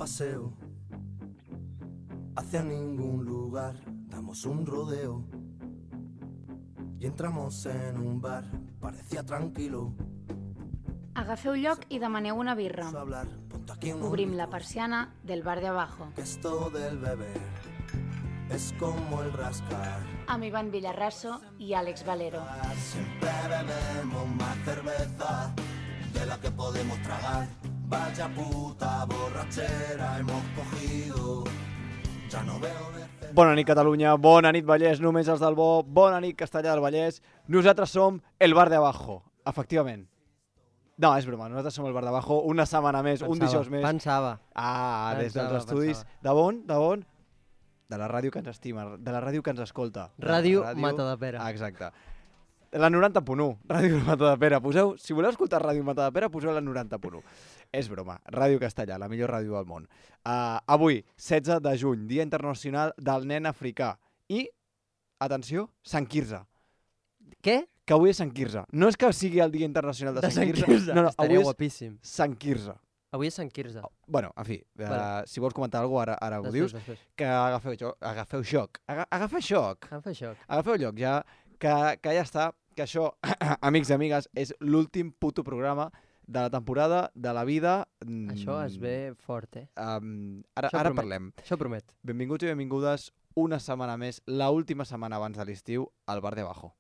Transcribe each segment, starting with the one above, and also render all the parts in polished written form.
paseo hacia ningún lugar, damos un rodeo y entramos en un bar, parecía tranquilo. Agafeu lloc i demaneu una birra. Hablar, ponte aquí unos Obrim la litros, persiana del bar de abajo. que esto del beber es como el rascar. Amb Ivan Villarraso i Àlex Valero. Siempre bebemos más cerveza de la que podemos tragar. Vaya puta borrachera hemos cogido. Ya no veo de cerca. Bona nit, Catalunya. Bona nit, Vallès. Només els del bo. Bona nit, Castellà del Vallès. Nosaltres som el bar de abajo. Efectivament. No, és broma. Nosaltres som el bar de abajo. Una setmana més, un dijous més. Pensava. Des dels estudis. De on? De la ràdio que ens estima, de la ràdio que ens escolta. Ràdio Matadepera. Exacte. La 90.1, Ràdio Matadepera. Poseu, si voleu escoltar Ràdio Matadepera, poseu la 90.1. És broma. Ràdio Castellà, la millor ràdio del món. Avui, 16 de juny, Dia Internacional del Nen Africà. I, atenció, Sant Quirze. Què? Que avui és Sant Quirze. No és que sigui el Dia Internacional de Sant Quirze. No, Estaria avui és guapíssim. Sant Quirze. Avui és Sant Quirze. Bueno, en fi, si vols comentar alguna cosa, ara ho dius. Després. Que agafeu xoc. Agafeu xoc. Em fa xoc. Agafeu lloc ja, que ja està, que això, amics i amigues, és l'últim puto programa de la temporada, de la vida. Això es ve fort, eh? Ara promet. parlem. Això promet. Benvinguts i benvingudes una setmana més, la última setmana abans de l'estiu, al bar de abajo.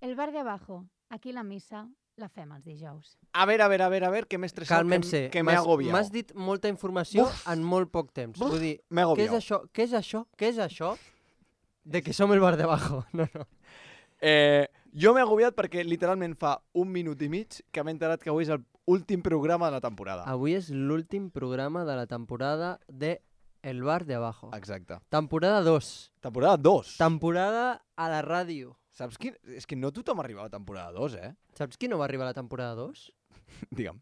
El bar de abajo. Aquí la missa la fem els dijous. A ver, que m'he estressat, Cálmense. que m'he agobiat. M'has dit molta informació en molt poc temps. Vull dir, m'he què és agobiat. això? Què és això? Què és això? De que som el bar de abajo. No. Jo m'he agobiat perquè literalment fa un minut i mig que m'he enterat que avui és l'últim programa de la temporada. Avui és l'últim programa de la temporada de El bar de abajo. Exacte. Temporada 2. Temporada 2. Temporada a la ràdio. Saps quin? És que no tothom arriba a la temporada 2, eh? Saps qui no va arribar a la temporada 2? Digue'm.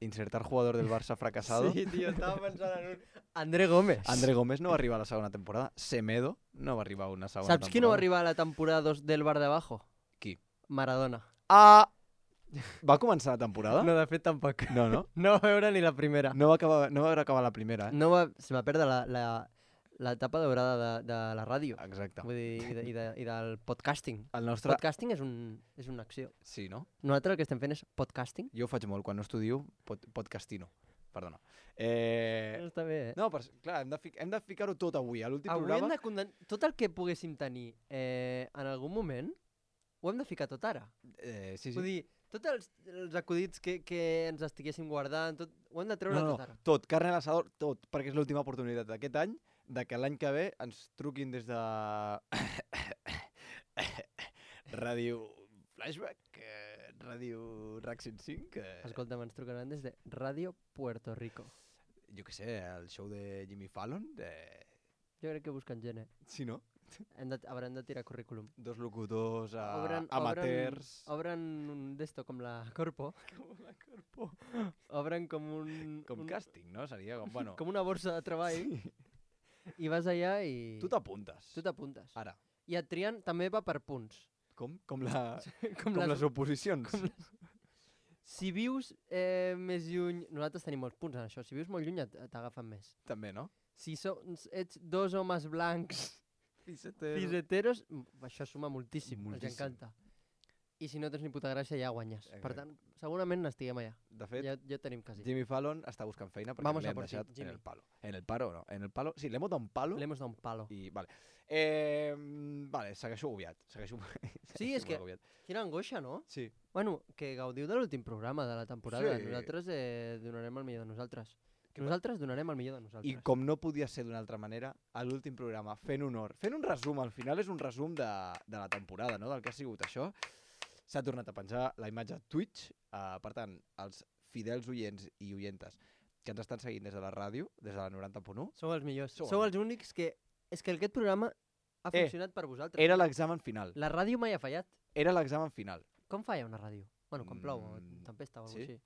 Insertar jugador del Barça fracasado. Sí, tio, estava pensant en un... André Gómez. André Gómez no va arribar a la segona temporada. Semedo no va arribar a una segona temporada. Saps qui no va arribar a la temporada 2 del bar de abajo? Qui? Maradona. Va començar la temporada? No, de fet, tampoc. No, no? No va veure ni la primera. No va veure acabar la primera, eh? Se va perdre l'etapa daurada de la ràdio. Exacte. Vull dir, i del podcasting. El nostre... Podcasting és una acció. Sí, no? Nosaltres el que estem fent és podcasting. Jo ho faig molt. Quan no estudio, podcastino. Perdona. Està bé, eh? No, però clar, hem de ficar-ho tot avui. A l'últim Avui programa... hem de condensar... Tot el que poguéssim tenir en algun moment, ho hem de ficar tot ara. Sí. Vull dir, tots els acudits que ens estiguéssim guardant, tot, ho hem de treure tot ara. Tot, carne a l'assador, tot, perquè és l'última oportunitat d'aquest any, de que l'any que ve ens truquin des de... Ràdio Flashback, Ràdio RAC 105... Escolta, ens trucaran des de Ràdio Puerto Rico. Jo què sé, el show de Jimmy Fallon... Jo crec que busquen gent, eh? Sí, no? Haurem de tirar currículum. Dos locutors amateurs... Obren un d'esto com la Corpo. Com la Corpo. Obren com un... Com càsting, no? Seria com, bueno... Com una borsa de treball. Sí. I vas allà i... Tu t'apuntes. Tu t'apuntes. Ara. I et trien, també va per punts. Com? Com les oposicions. Si vius més lluny... Nosaltres tenim molts punts en això. Si vius molt lluny t'agafen més. També, no? Si ets dos homes blancs fiseteros, això suma moltíssim. Els encanta. I si no tens ni puta gràcia ja guanyes. Per tant, segurament n'estiguem allà. De fet, ja tenim quasi. Jimmy Fallon està buscant feina perquè li hem deixat en el palo. En el palo, no. En el palo, sí, le hemos dado un palo. Le hemos dado un palo. I, vale. Vale, segueixo agobiat. Sí, és que... Quina angoixa, no? Sí. Bueno, que gaudiu de l'últim programa de la temporada. Sí. Nosaltres donarem el millor de nosaltres. Nosaltres donarem el millor de nosaltres. I com no podia ser d'una altra manera, a l'últim programa, fent un resum, al final és un resum de la temporada, no? Del que ha sigut això. S'ha tornat a penjar la imatge a Twitch, per tant, els fidels oients i oientes que ens estan seguint des de la ràdio, des de la 90.1. Sou els millors. Sou els únics que... És que aquest programa ha funcionat per vosaltres. Era l'examen final. La ràdio mai ha fallat. Era l'examen final. Com falla una ràdio? Bueno, quan plou, tempesta o alguna cosa així.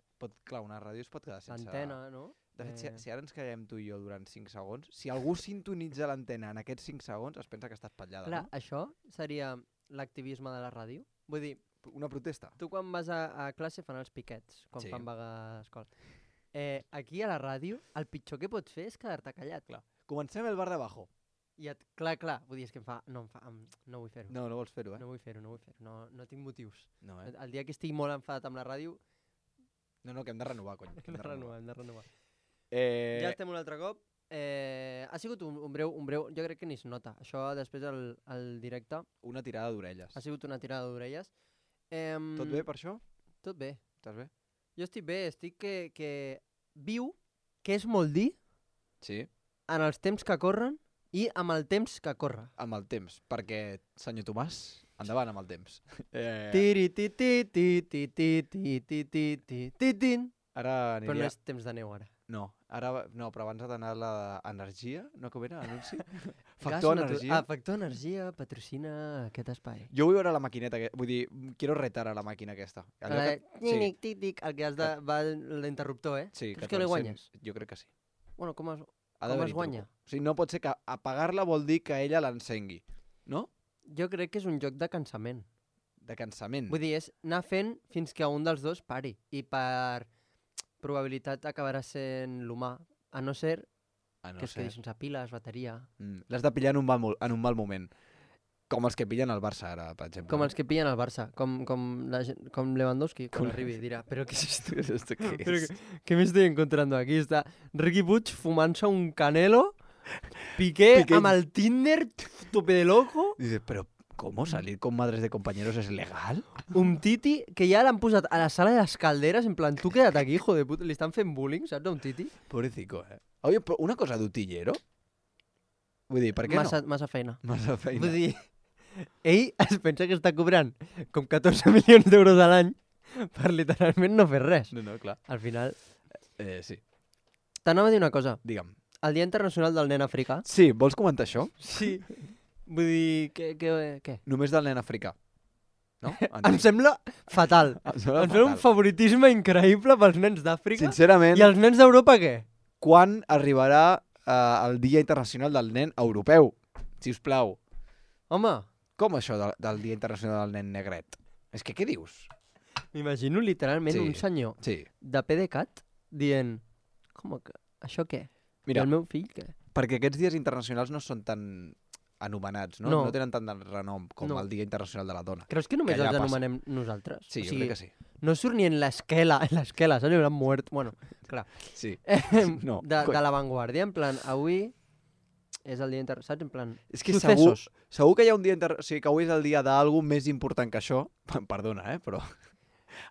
Clar, una ràdio es pot quedar sense... L'antena, no? De fet, si ara ens callem tu i jo durant 5 segons, si algú sintonitza l'antena en aquests 5 segons, es pensa que està espatllada, clar, no? Això seria l'activisme de la ràdio? Vull dir, Una protesta. tu quan vas a classe fan els piquets, quan Sí. fan vaga a l'escola. Aquí a la ràdio, el pitjor que pots fer és quedar-te callat. Clar. Comencem el bar de abajo. I clar, vull dir, és que no vull fer-ho. No vols fer-ho, No vull fer-ho. No tinc motius. No, El dia que estigui molt enfadat amb la ràdio, No, que hem de renovar, cony. hem de renovar. Eh... Ja estem un altre cop. Ha sigut un breu, jo crec que ni es nota. Això després al directe Una tirada d'orelles. ha sigut una tirada d'orelles. Tot bé per això? Tot bé. Estàs bé? Jo estic bé, estic que viu, que és molt dir, Sí. en els temps que corren i amb el temps que corre. Amb el temps, perquè, senyor Tomàs, endavant amb el temps. Tiri ti ti ti ti ti ti ti ti ti ti tin. Ara Però no aniria... és temps de neu ara. No, però abans ha d'anar la energia, no com era, anunci? Factor Gas energia. Factor Energia patrocina aquest espai. Jo vull veure la maquineta, vull dir, quiero retar a la màquina aquesta. Sí, Tic, el que has de... va l'interruptor, eh? sí. Creus que li guanyes? Jo crec que sí. Bueno, com es d'haver-hi guanya? truco. O sigui, no pot ser que apagar-la vol dir que ella l'encengui, no? Jo crec que és un joc de cansament. De cansament. Vull dir, és anar fent fins que un dels dos pari. I per probabilitat acabarà sent l'humà. A no ser Ah, no que es sé. quedi sense piles, bateria... L'has de pillar en un mal moment. Com els que pillen el Barça ara, per exemple. Com els que pillen el Barça. Com Lewandowski, quan arribi, dirà, però què és esto? ¿Esto qué Pero es? ¿qué me estoy encontrando aquí? Está Ricky Puig fumant-se un canelo, Piqué Piqué. amb el Tinder, tope de loco, Dices, pero ¿cómo salir con madres de compañeros es legal? un Titi que ja l'han posat a la sala de les calderes, en plan, tu queda't aquí, hijo de puta, li estan fent bullying, saps, a un Titi? Pobrecito, eh? Oye, però una cosa d'utillero? Vull dir, per què Massa feina. no? Massa feina. Vull dir, ell es pensa que està cobrant com 14 milions d'euros a l'any per literalment no fer res. No, clar. Al final... Sí, T'anava a dir una cosa. digue'm. El Dia Internacional del Nen Africà... Sí, vols comentar això? Sí. Vull dir, què? Només del nen africà. No? Em sembla fatal. Em sembla un favoritisme increïble pels nens d'Àfrica. Sincerament, I els nens d'Europa què? quan arribarà el Dia Internacional del Nen Europeu? Si us plau. Home, Com això del Dia Internacional del Nen Negret? És que què dius? m'imagino literalment Sí. un senyor Sí. de PDeCAT dient com que això què? Mira, I el meu fill què? perquè aquests dies internacionals no són tan anomenats, no? No. No tenen tant de renom com No. el Dia Internacional de la Dona. Creus que només Que ja els passa. anomenem nosaltres? Sí, O jo sigui, crec que sí. no surt ni en l'esquela, saps? Hauran mort. Bueno, clar. Sí. No, de l'avantguàrdia, en plan, avui és el dia saps? En plan, És que successos. segur que hi ha un dia... O sigui, que avui és el dia d'algú més important que això. Perdona, però...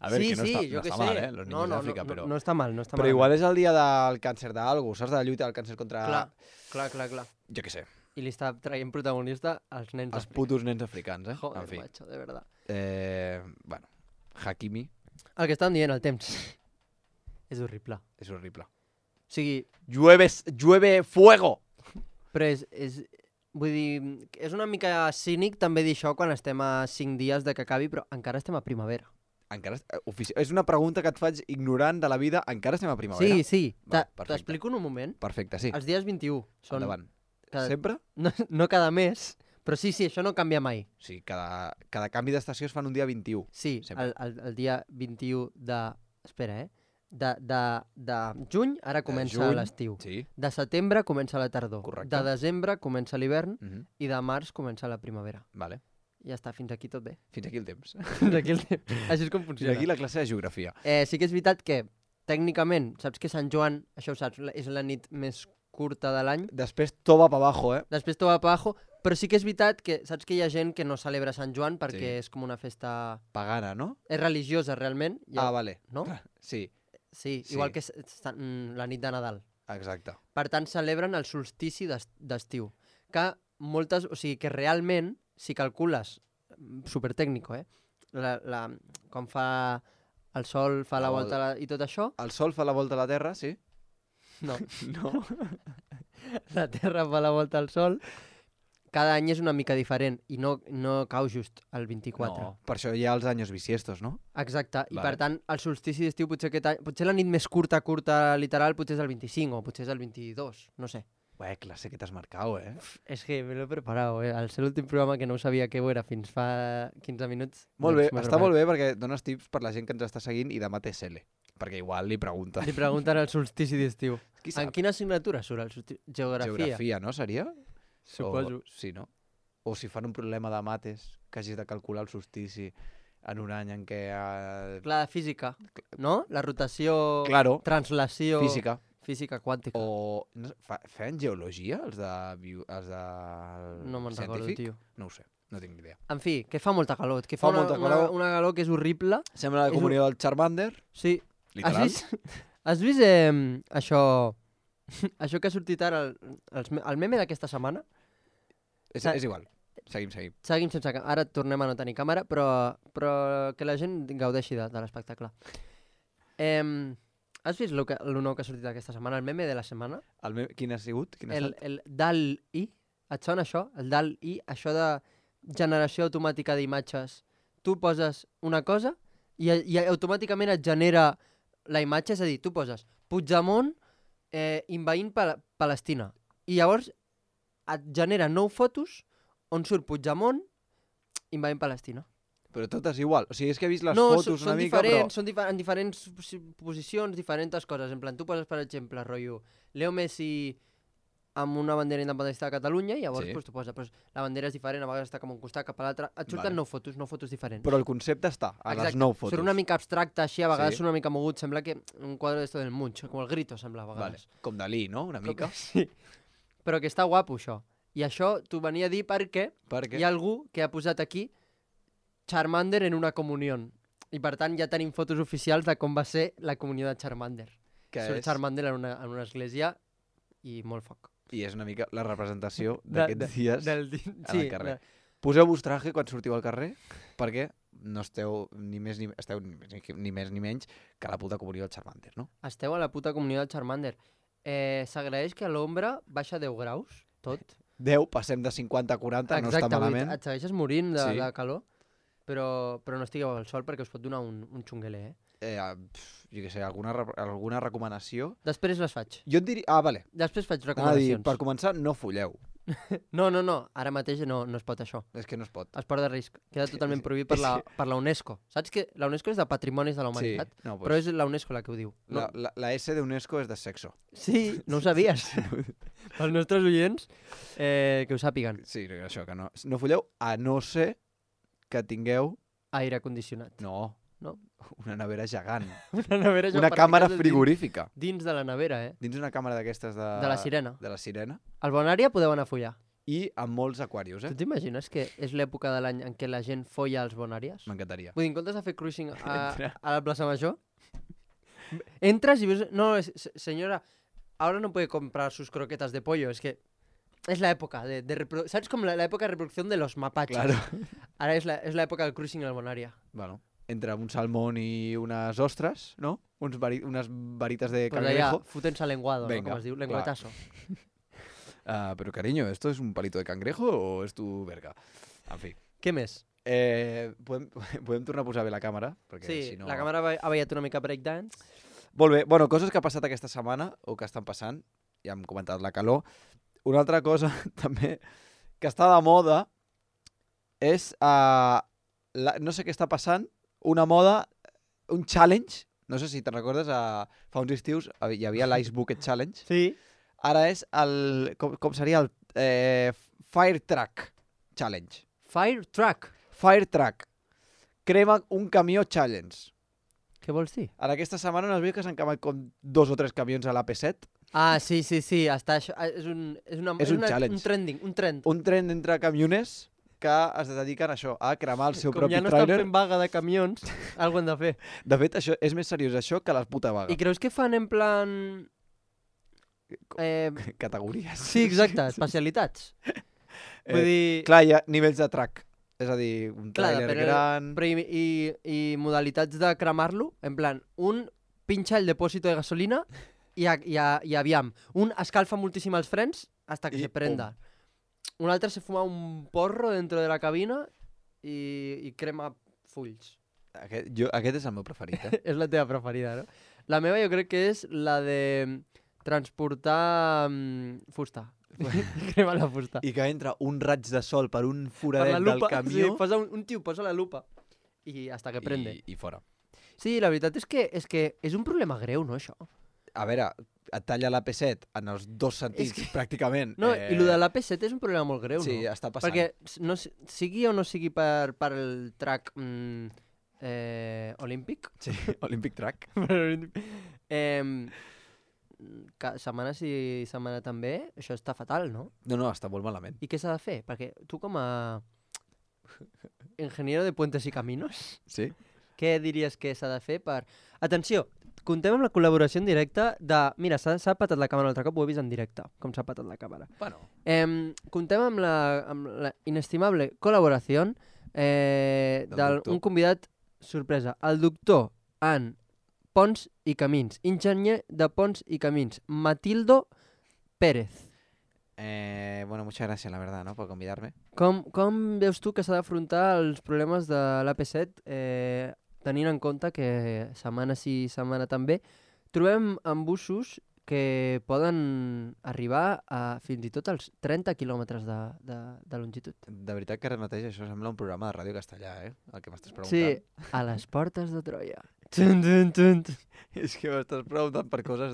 A veure, sí, que no està, jo no què està sé. mal, los niños d'Àfrica, però... No està mal, no està Però mal. igual és el dia del càncer d'algú, saps? De la lluita del càncer contra... Clar. Jo què sé. I li està traient protagonista als nens Els d'Àfrica. putos nens africans, eh? Joder, En fi. macho, de verdad. Bueno, Hakimi El que estàvem dient, el temps. És horrible. és horrible. O sigui, Llueve fuego! però vull dir, és una mica cínic també dir això quan estem a 5 dies de que acabi, però encara estem a primavera. Encara... És una pregunta que et faig ignorant de la vida. Encara estem a primavera? Sí. Va, perfecte. T'explico en un moment. Perfecte, sí. Els dies 21 són... Endavant. Cada... Sempre? No cada mes, però sí, això no canvia mai. Sí, cada canvi d'estació es fan un dia 21. Sí, Sempre. el dia 21 de... Espera, de juny, ara comença juny, l'estiu. Sí. De setembre comença la tardor. Correcte. De desembre comença l'hivern Mhm. i de març comença la primavera. Vale. Ja està, fins aquí tot bé. Fins aquí el temps. Fins aquí el temps. Així és com Fins funciona. aquí la classe de geografia. Sí que és veritat que, tècnicament, saps que Sant Joan, això ho saps, és la nit més curta de l'any. Després tot va pa abajo, eh? Després tot va pa abajo, però sí que és veritat que saps que hi ha gent que no celebra Sant Joan perquè Sí. és com una festa... Pagana, no? És religiosa, realment. Vale. No? Sí, Sí, Sí. igual que la nit de Nadal. exacte. Per tant, celebren el solstici d'estiu. Que moltes... O sigui, que realment, si calcules, supertècnico, com fa el sol, fa la volta i tot això... El sol fa la volta a la Terra, sí? No, No? la Terra fa la volta al sol. Cada any és una mica diferent i no cau just el 24. No, per això hi ha els anys bisiestos, no? Exacte, i Vale. per tant el solstici d'estiu potser la nit més curta, literal, potser és el 25 o potser és el 22, no sé. clase que t'has marcat, És que me l'he preparat, Al ser l'últim programa que no sabia què ho era fins fa 15 minuts. Molt bé, doncs m'he està preparat. molt bé perquè dones tips per la gent que ens està seguint i demà té CL. Perquè igual li pregunten. Li pregunten el solstici d'estiu. Qui En sap? quina assignatura surt el solstici? Geografia. Geografia, no, seria? Suposo. Sí, no? O si fan un problema de mates, que hagis de calcular el solstici en un any en què... Clar, de física, no? La rotació, Claro, translació... física. Física quàntica. O no, feien geologia, els de... No me'n recordo, científic? tio. No ho sé, no tinc ni idea. En fi, que fa molta calor. Que fa Fa molta calor. una calor que és horrible. Sembla la És comunió del Charmander, Sí. literal. Has vist això... això que ha sortit ara, el meme d'aquesta setmana? És igual. Seguim. Seguim sense... Ara tornem a no tenir càmera, però que la gent gaudeixi de l'espectacle. Has vist el nou que ha sortit aquesta setmana? El meme de la setmana? Quin ha sigut? Quin ha estat? El DAL-I. Et sona això? El DAL-I, això de generació automàtica d'imatges. Tu poses una cosa i automàticament et genera la imatge, és a dir, tu poses Puigdemont envaint Palestina. I llavors et genera 9 fotos on surt Puigdemont envaint Palestina. Però totes igual. O sigui, és que he vist les fotos una mica, diferents, són en diferents posicions, diferents coses. En plan, tu poses, per exemple, rotllo, Leo Messi amb una bandera independentista de Catalunya i llavors Sí. pues, tu poses, pues, la bandera és diferent, a vegades està com un costat cap a l'altre. Et surten Vale. 9 fotos diferents. Però el concepte està a les 9 fotos. Surt una mica abstracte així, a vegades Sí. surt una mica mogut, sembla que un quadre d'esto del Munch, com el Grito sembla a Vale. vegades. Com Dalí, no? Una mica. Sí. Però que està guapo això. I això t'ho venia a dir perquè Perquè hi ha algú que ha posat aquí Charmander en una comunió. I per tant ja tenim fotos oficials de com va ser la comunió de Charmander. que Surt és... Charmander en una església i molt foc. I és una mica la representació De- d'aquests dies Del al carrer. Poseu-vos traje quan sortiu al carrer perquè no esteu ni més ni menys que la puta comunió del Charmander, no? Esteu a la puta comunió de Charmander. S'agraeix que a l'ombra baixa 10 graus, tot. 10, passem de 50 a 40, no està malament. Et segueixes morint Sí. de calor, però no estigueu al sol perquè us pot donar un xungueler, Jo què sé, alguna recomanació? Després les faig. Jo et diria... Ah, vale. Després faig Anava a dir, recomanacions. per començar, no fulleu. No, ara mateix no es pot això. És que no es pot. Esport de risc. Queda totalment prohibit per la UNESCO. Saps que la UNESCO és de Patrimonis de la Humanitat? no, Però és la UNESCO la que ho diu. No? La S d'UNESCO és de sexo. Sí, no ho sabies. Els nostres oients que ho sàpiguen. Sí, això, que no fulleu, a no ser que tingueu... Aire condicionat. No, No? una nevera gegant. Una nevera Una càmera frigorífica. Dins de la nevera, Dins una càmera d'aquestes de... De la sirena. De la sirena. Al Bonària podeu anar a follar. I amb molts aquarius, Tu t'imagines que és l'època de l'any en què la gent folla als Bonàries? M'encantaria. Vull dir, en comptes de fer cruising a la plaça Major, entres y ves... No, señora, ahora no puede comprar sus croquetas de pollo, es que es la época de ¿sabes? Como la época de reproducción de los mapaches. Claro. Ahora es la época del cruising al Bonària. Bueno, entre un salmón i unes ostres, no? Unes varitas de Pues allá, cangrejo. fútense al lenguado, Venga, ¿no? Como es diu, clar. lengüetazo. Pero cariño, ¿esto es un palito de cangrejo o es tu verga? En fi. Què més? Podem tornar a posar bé la càmera? Perquè Sí, si no... la càmera ha ballat una mica breakdance. Molt bé. Bueno, coses que ha passat aquesta setmana o que estan passant. Ja hem comentat la calor. Una altra cosa també que està de moda és... no sé què està passant. Una moda, un challenge. No sé si te'n recordes, fa uns estius hi havia l'Ice Bucket Challenge. Sí. Ara és el... Com seria el Fire Truck Challenge. Fire truck. Fire Truck. Crema un camió challenge. Què vols dir? En aquesta setmana no has vist que s'han cremat com 2 o 3 camions a l'AP7? Ah, sí, està això. És un challenge. Un trending, un trend. Un tren entre camioners que es dediquen a això, a cremar el seu Com propi ja no estan trailer. fent vaga de camions, alguna han de fer. De fet, això és més seriós això que la puta vaga. I creus que fan en plan... Categories. Sí, exacte, especialitats. Vull dir... Clar, hi ha nivells de track. És a dir, un Clar, trailer però- gran... Però i modalitats de cremar-lo, en plan, un pincha el depósito de gasolina i aviam. Un escalfa moltíssim els frens hasta que I se prenda. Un altre se fuma un porro dentro de la cabina i crema fulls. Aquest és el meu preferit, És la teva preferida, no? La meva jo crec que és la de transportar fusta. Crema la fusta. I que entra un raig de sol per un Per foradet la del lupa, camió sí, posa un tio posa la lupa i hasta que prende. i fora. Sí, la veritat és que és un problema greu, no, això? A veure, et talla la P7 en els dos sentits, pràcticament. No, i el de la P7 és un problema molt greu, sí, no? està passant. Perquè no, sigui o no sigui per el track olímpic, Sí, Olympic Track. setmana sí, setmana també, això està fatal, no? No, està molt malament. I què s'ha de fer? Perquè tu com a ingeniero de puentes i caminos, Sí? què diries que s'ha de fer per... Atenció, contem amb la col·laboració en directe de... Mira, s'ha patat la càmera un altre cop, ho he vist en directe, com s'ha patat la càmera. Bueno. Contem amb la inestimable col·laboració d'un convidat sorpresa, el doctor en Ponts i Camins, enginyer de Ponts i Camins, Matildo Pérez. Bueno, muchas gracias, la verdad, ¿no? Por convidarme. Com veus tu que s'ha d'afrontar els problemes de l'AP7 tenint en compte que setmana sí, setmana també, trobem embussos que poden arribar a fins i tot als 30 quilòmetres de longitud. De veritat que ara mateix això sembla un programa de ràdio castellà, el que m'estàs preguntant. Sí, a les portes de Troia. Tun, tun, tun. És que m'estàs preguntant per coses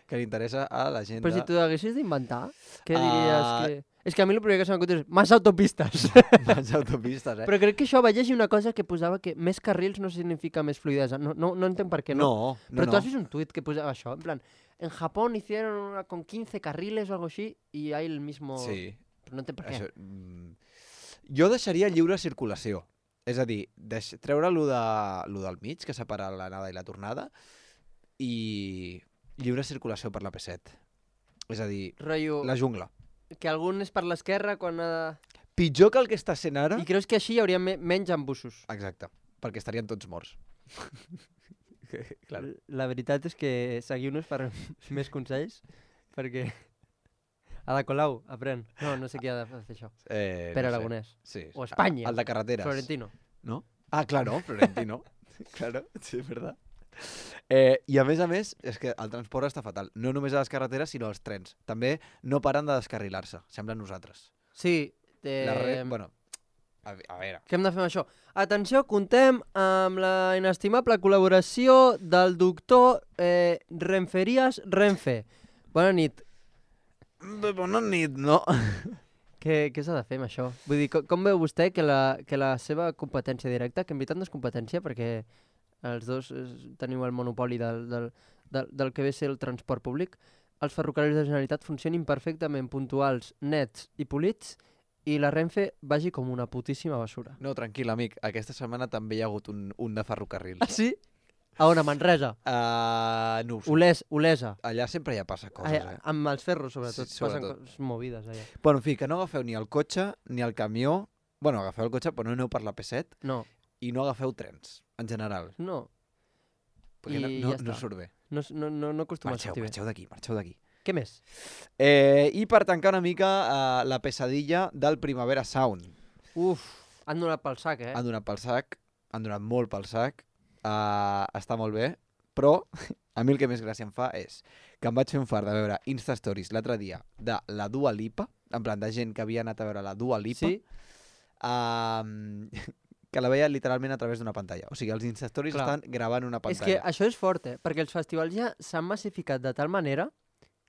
que li interessa a la gent Però si de... t'ho haguessis d'inventar, què diries que... És que a mi el primer que se m'acut és més autopistes. Més autopistes, Però crec que això va llegir una cosa que posava que més carrils no significa més fluidesa. No entenc per què, no? No, Però tu has vist un tuit que posava això, en plan, en Japón hicieron una con 15 carriles o algo així y hay el mismo... Sí. Però no entenc per què. Jo deixaria lliure circulació. És a dir, treure lo del mig, que separa l'anada i la tornada, i lliure circulació per la P7. És a dir, Rotllo, la jungla. que algun és per l'esquerra quan ha de... Pitjor que el que està sent ara... I creus que així hi hauria menys embussos? Exacte, perquè estarien tots morts. Claro. La veritat és que seguiu-nos per més consells, perquè... Ada Colau, aprèn. No sé qui ha de fer això. Pere Aragonès. Sí. O Espanya. El de carreteres. Florentino. ¿No? Ah, claro, Florentino. Claro, sí, és verdad. I a més, és que el transport està fatal. No només a les carreteres, sinó als trens. També no paren de descarrilar-se, sembla nosaltres. Sí. Bueno, a veure. Què hem de fer amb això? Atenció, contem amb la inestimable col·laboració del doctor Renferias Renfe. Bona nit. Bona nit, no? Què s'ha de fer amb això? Vull dir, com veu vostè que la seva competència directa, que en veritat no és competència perquè els dos teniu el monopoli del que ve a ser el transport públic, els ferrocarrils de la Generalitat funcionin perfectament puntuals, nets i polits i la Renfe vagi com una putíssima basura. No, tranquil, amic. Aquesta setmana també hi ha hagut un de ferrocarril. Ah, sí? A on? A Manresa? No ho sé. Olesa. Allà sempre ja passa coses, Amb els ferros, sobretot. Sí, sobretot. Passen coses movides, allà. Bueno, en fi, que no agafeu ni el cotxe ni el camió. Bueno, agafeu el cotxe, però no aneu per la P7. No. I no agafeu trens, en general. No. Perquè I no ja està. surt bé. No acostuma a sortir bé. Marxeu d'aquí. Què més? I per tancar una mica la pesadilla del Primavera Sound. Uf, han donat pel sac, Han donat pel sac, han donat molt pel sac. Està molt bé, però a mi el que més gràcia em fa és que em vaig fer un fart de veure Insta-Stories l'altre dia de la Dua Lipa, en plan de gent que havia anat a veure la Dua Lipa, Sí? que la veia literalment a través d'una pantalla. O sigui, els Insta-Stories Clar. estan gravant una És que pantalla. això és fort, perquè els festivals ja s'han massificat de tal manera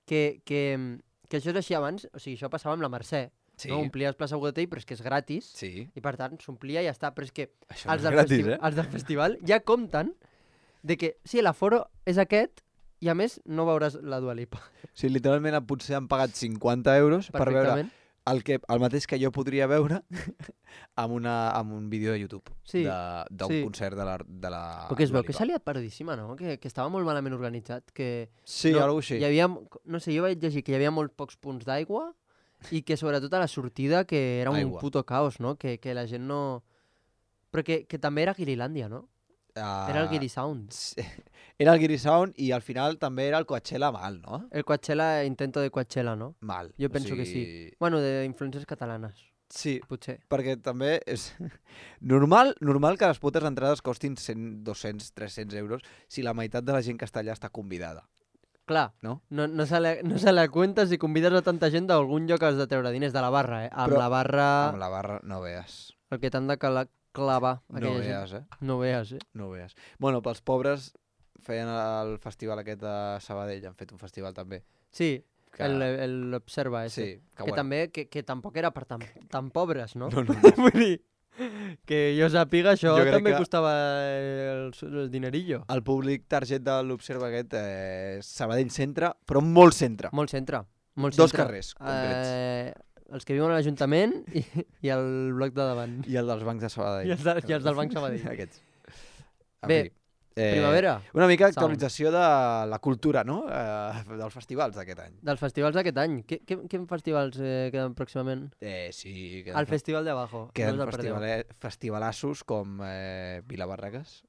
que això és així abans, o sigui, això passava amb la Mercè, Sí, no? Omplies plaça Bogatell, però és que és gratis, sí. i per tant s'omplia i ja està, però és que Això els no és del, gratis, els del festival ja compten de que sí, l'aforo és aquest i a més no veuràs la Dua Lipa. O sigui, literalment potser han pagat 50 euros per veure Perfectament. el mateix que jo podria veure amb un vídeo de YouTube Sí, d'un sí. concert de la Però que es Dua veu que Lipa. s'ha liat perdíssima, no? Que estava molt malament organitzat, que... Sí, no, alguna cosa així. Hi havia, no sé, jo vaig llegir que hi havia molt pocs punts d'aigua i que sobretot a la sortida que era un Aigua. puto caos, no? Que la gent no... Però que també era Guirilàndia, no? Era el Guiri Sound. Era el Guiri Sound i al final també era el Coachella mal, no? El Coachella, intento de Coachella, no? Mal. Jo penso que sí. Bueno, d'influències catalanes, Sí, potser. perquè també és normal que les putes entrades costin 100, 200, 300 euros si la meitat de la gent que està allà està convidada. clar, No? no se la cuenta si convides a tanta gent d'algun lloc has de treure diners de la barra, Amb Però la barra, Amb la barra no veas. el que t'han de clavar No aquella gent. veas, No veas, No veas. Bueno, pels pobres feien el festival aquest de Sabadell, han fet un festival també. Sí, Que... l'Observa, ese. Sí, que Que bueno. també, que tampoc era per tan pobres, no? No, no. Vull dir, que jo sàpiga, això Jo crec també que- costava el dinerillo. El públic target de l'Observa aquest és Sabadell centre, però molt centre. Molt centre. Molt Dos centre. carrers concrets. Els que viuen a l'Ajuntament i el bloc de davant. I el dels bancs de Sabadell. I els del Banc Sabadell. Aquests. En Bé, fi, Primavera, una mica Sound. actualització de la cultura, no? Dels festivals d'aquest any. dels festivals d'aquest any. Quins festivals queden pròximament? Sí. El Festival de Abajo. Queden no us el perdeu. festivalassos com Vilabarragues.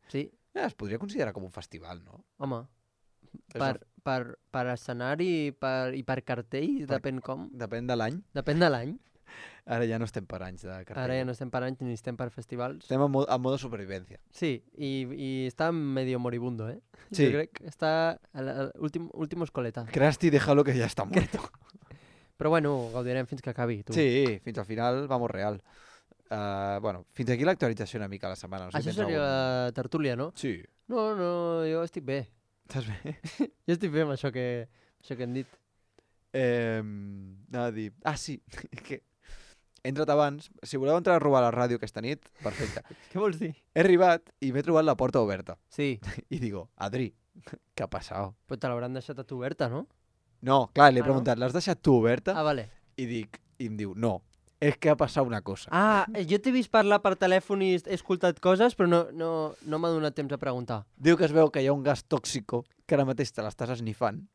Sí, Es podria considerar com un festival, no? home. És Per escenari i per cartell, depèn com. Depèn de l'any. Depèn de l'any. Ara ja no estem per anys de cartell. Ara ja no estem per anys ni estem per festivals. Estem en modo supervivència. Sí, i està medio moribundo, Sí. Jo crec que està a l'últim escoleta. Krusty, déjalo que ya está muerto. Però bueno, gaudirem fins que acabi, tu. Sí, fins al final vamos real. Bueno, fins aquí l'actualització una mica a la setmana. No sé si Això tens seria algun- la tertúlia, no? Sí. No, jo estic bé. Estàs bé? Jo estic bé amb això que hem dit. Anava a dir... Ah, sí, que he entrat abans. Si voleu entrar a robar a la ràdio aquesta nit, perfecte. Què vols dir? He arribat i m'he trobat la porta oberta. Sí, I digo, Adri, ¿qué ha pasado? però te l'hauran deixat a tu oberta, no? No, clar, li he Ah, no? preguntat, l'has deixat tu oberta? Ah, vale. I em diu, no, és que ha passat una cosa. Ah, jo t'he vist parlar per telèfon i he escoltat coses, però no m'ha donat temps a preguntar. Diu que es veu que hi ha un gas tòxico que ara mateix te l'estàs esnifant.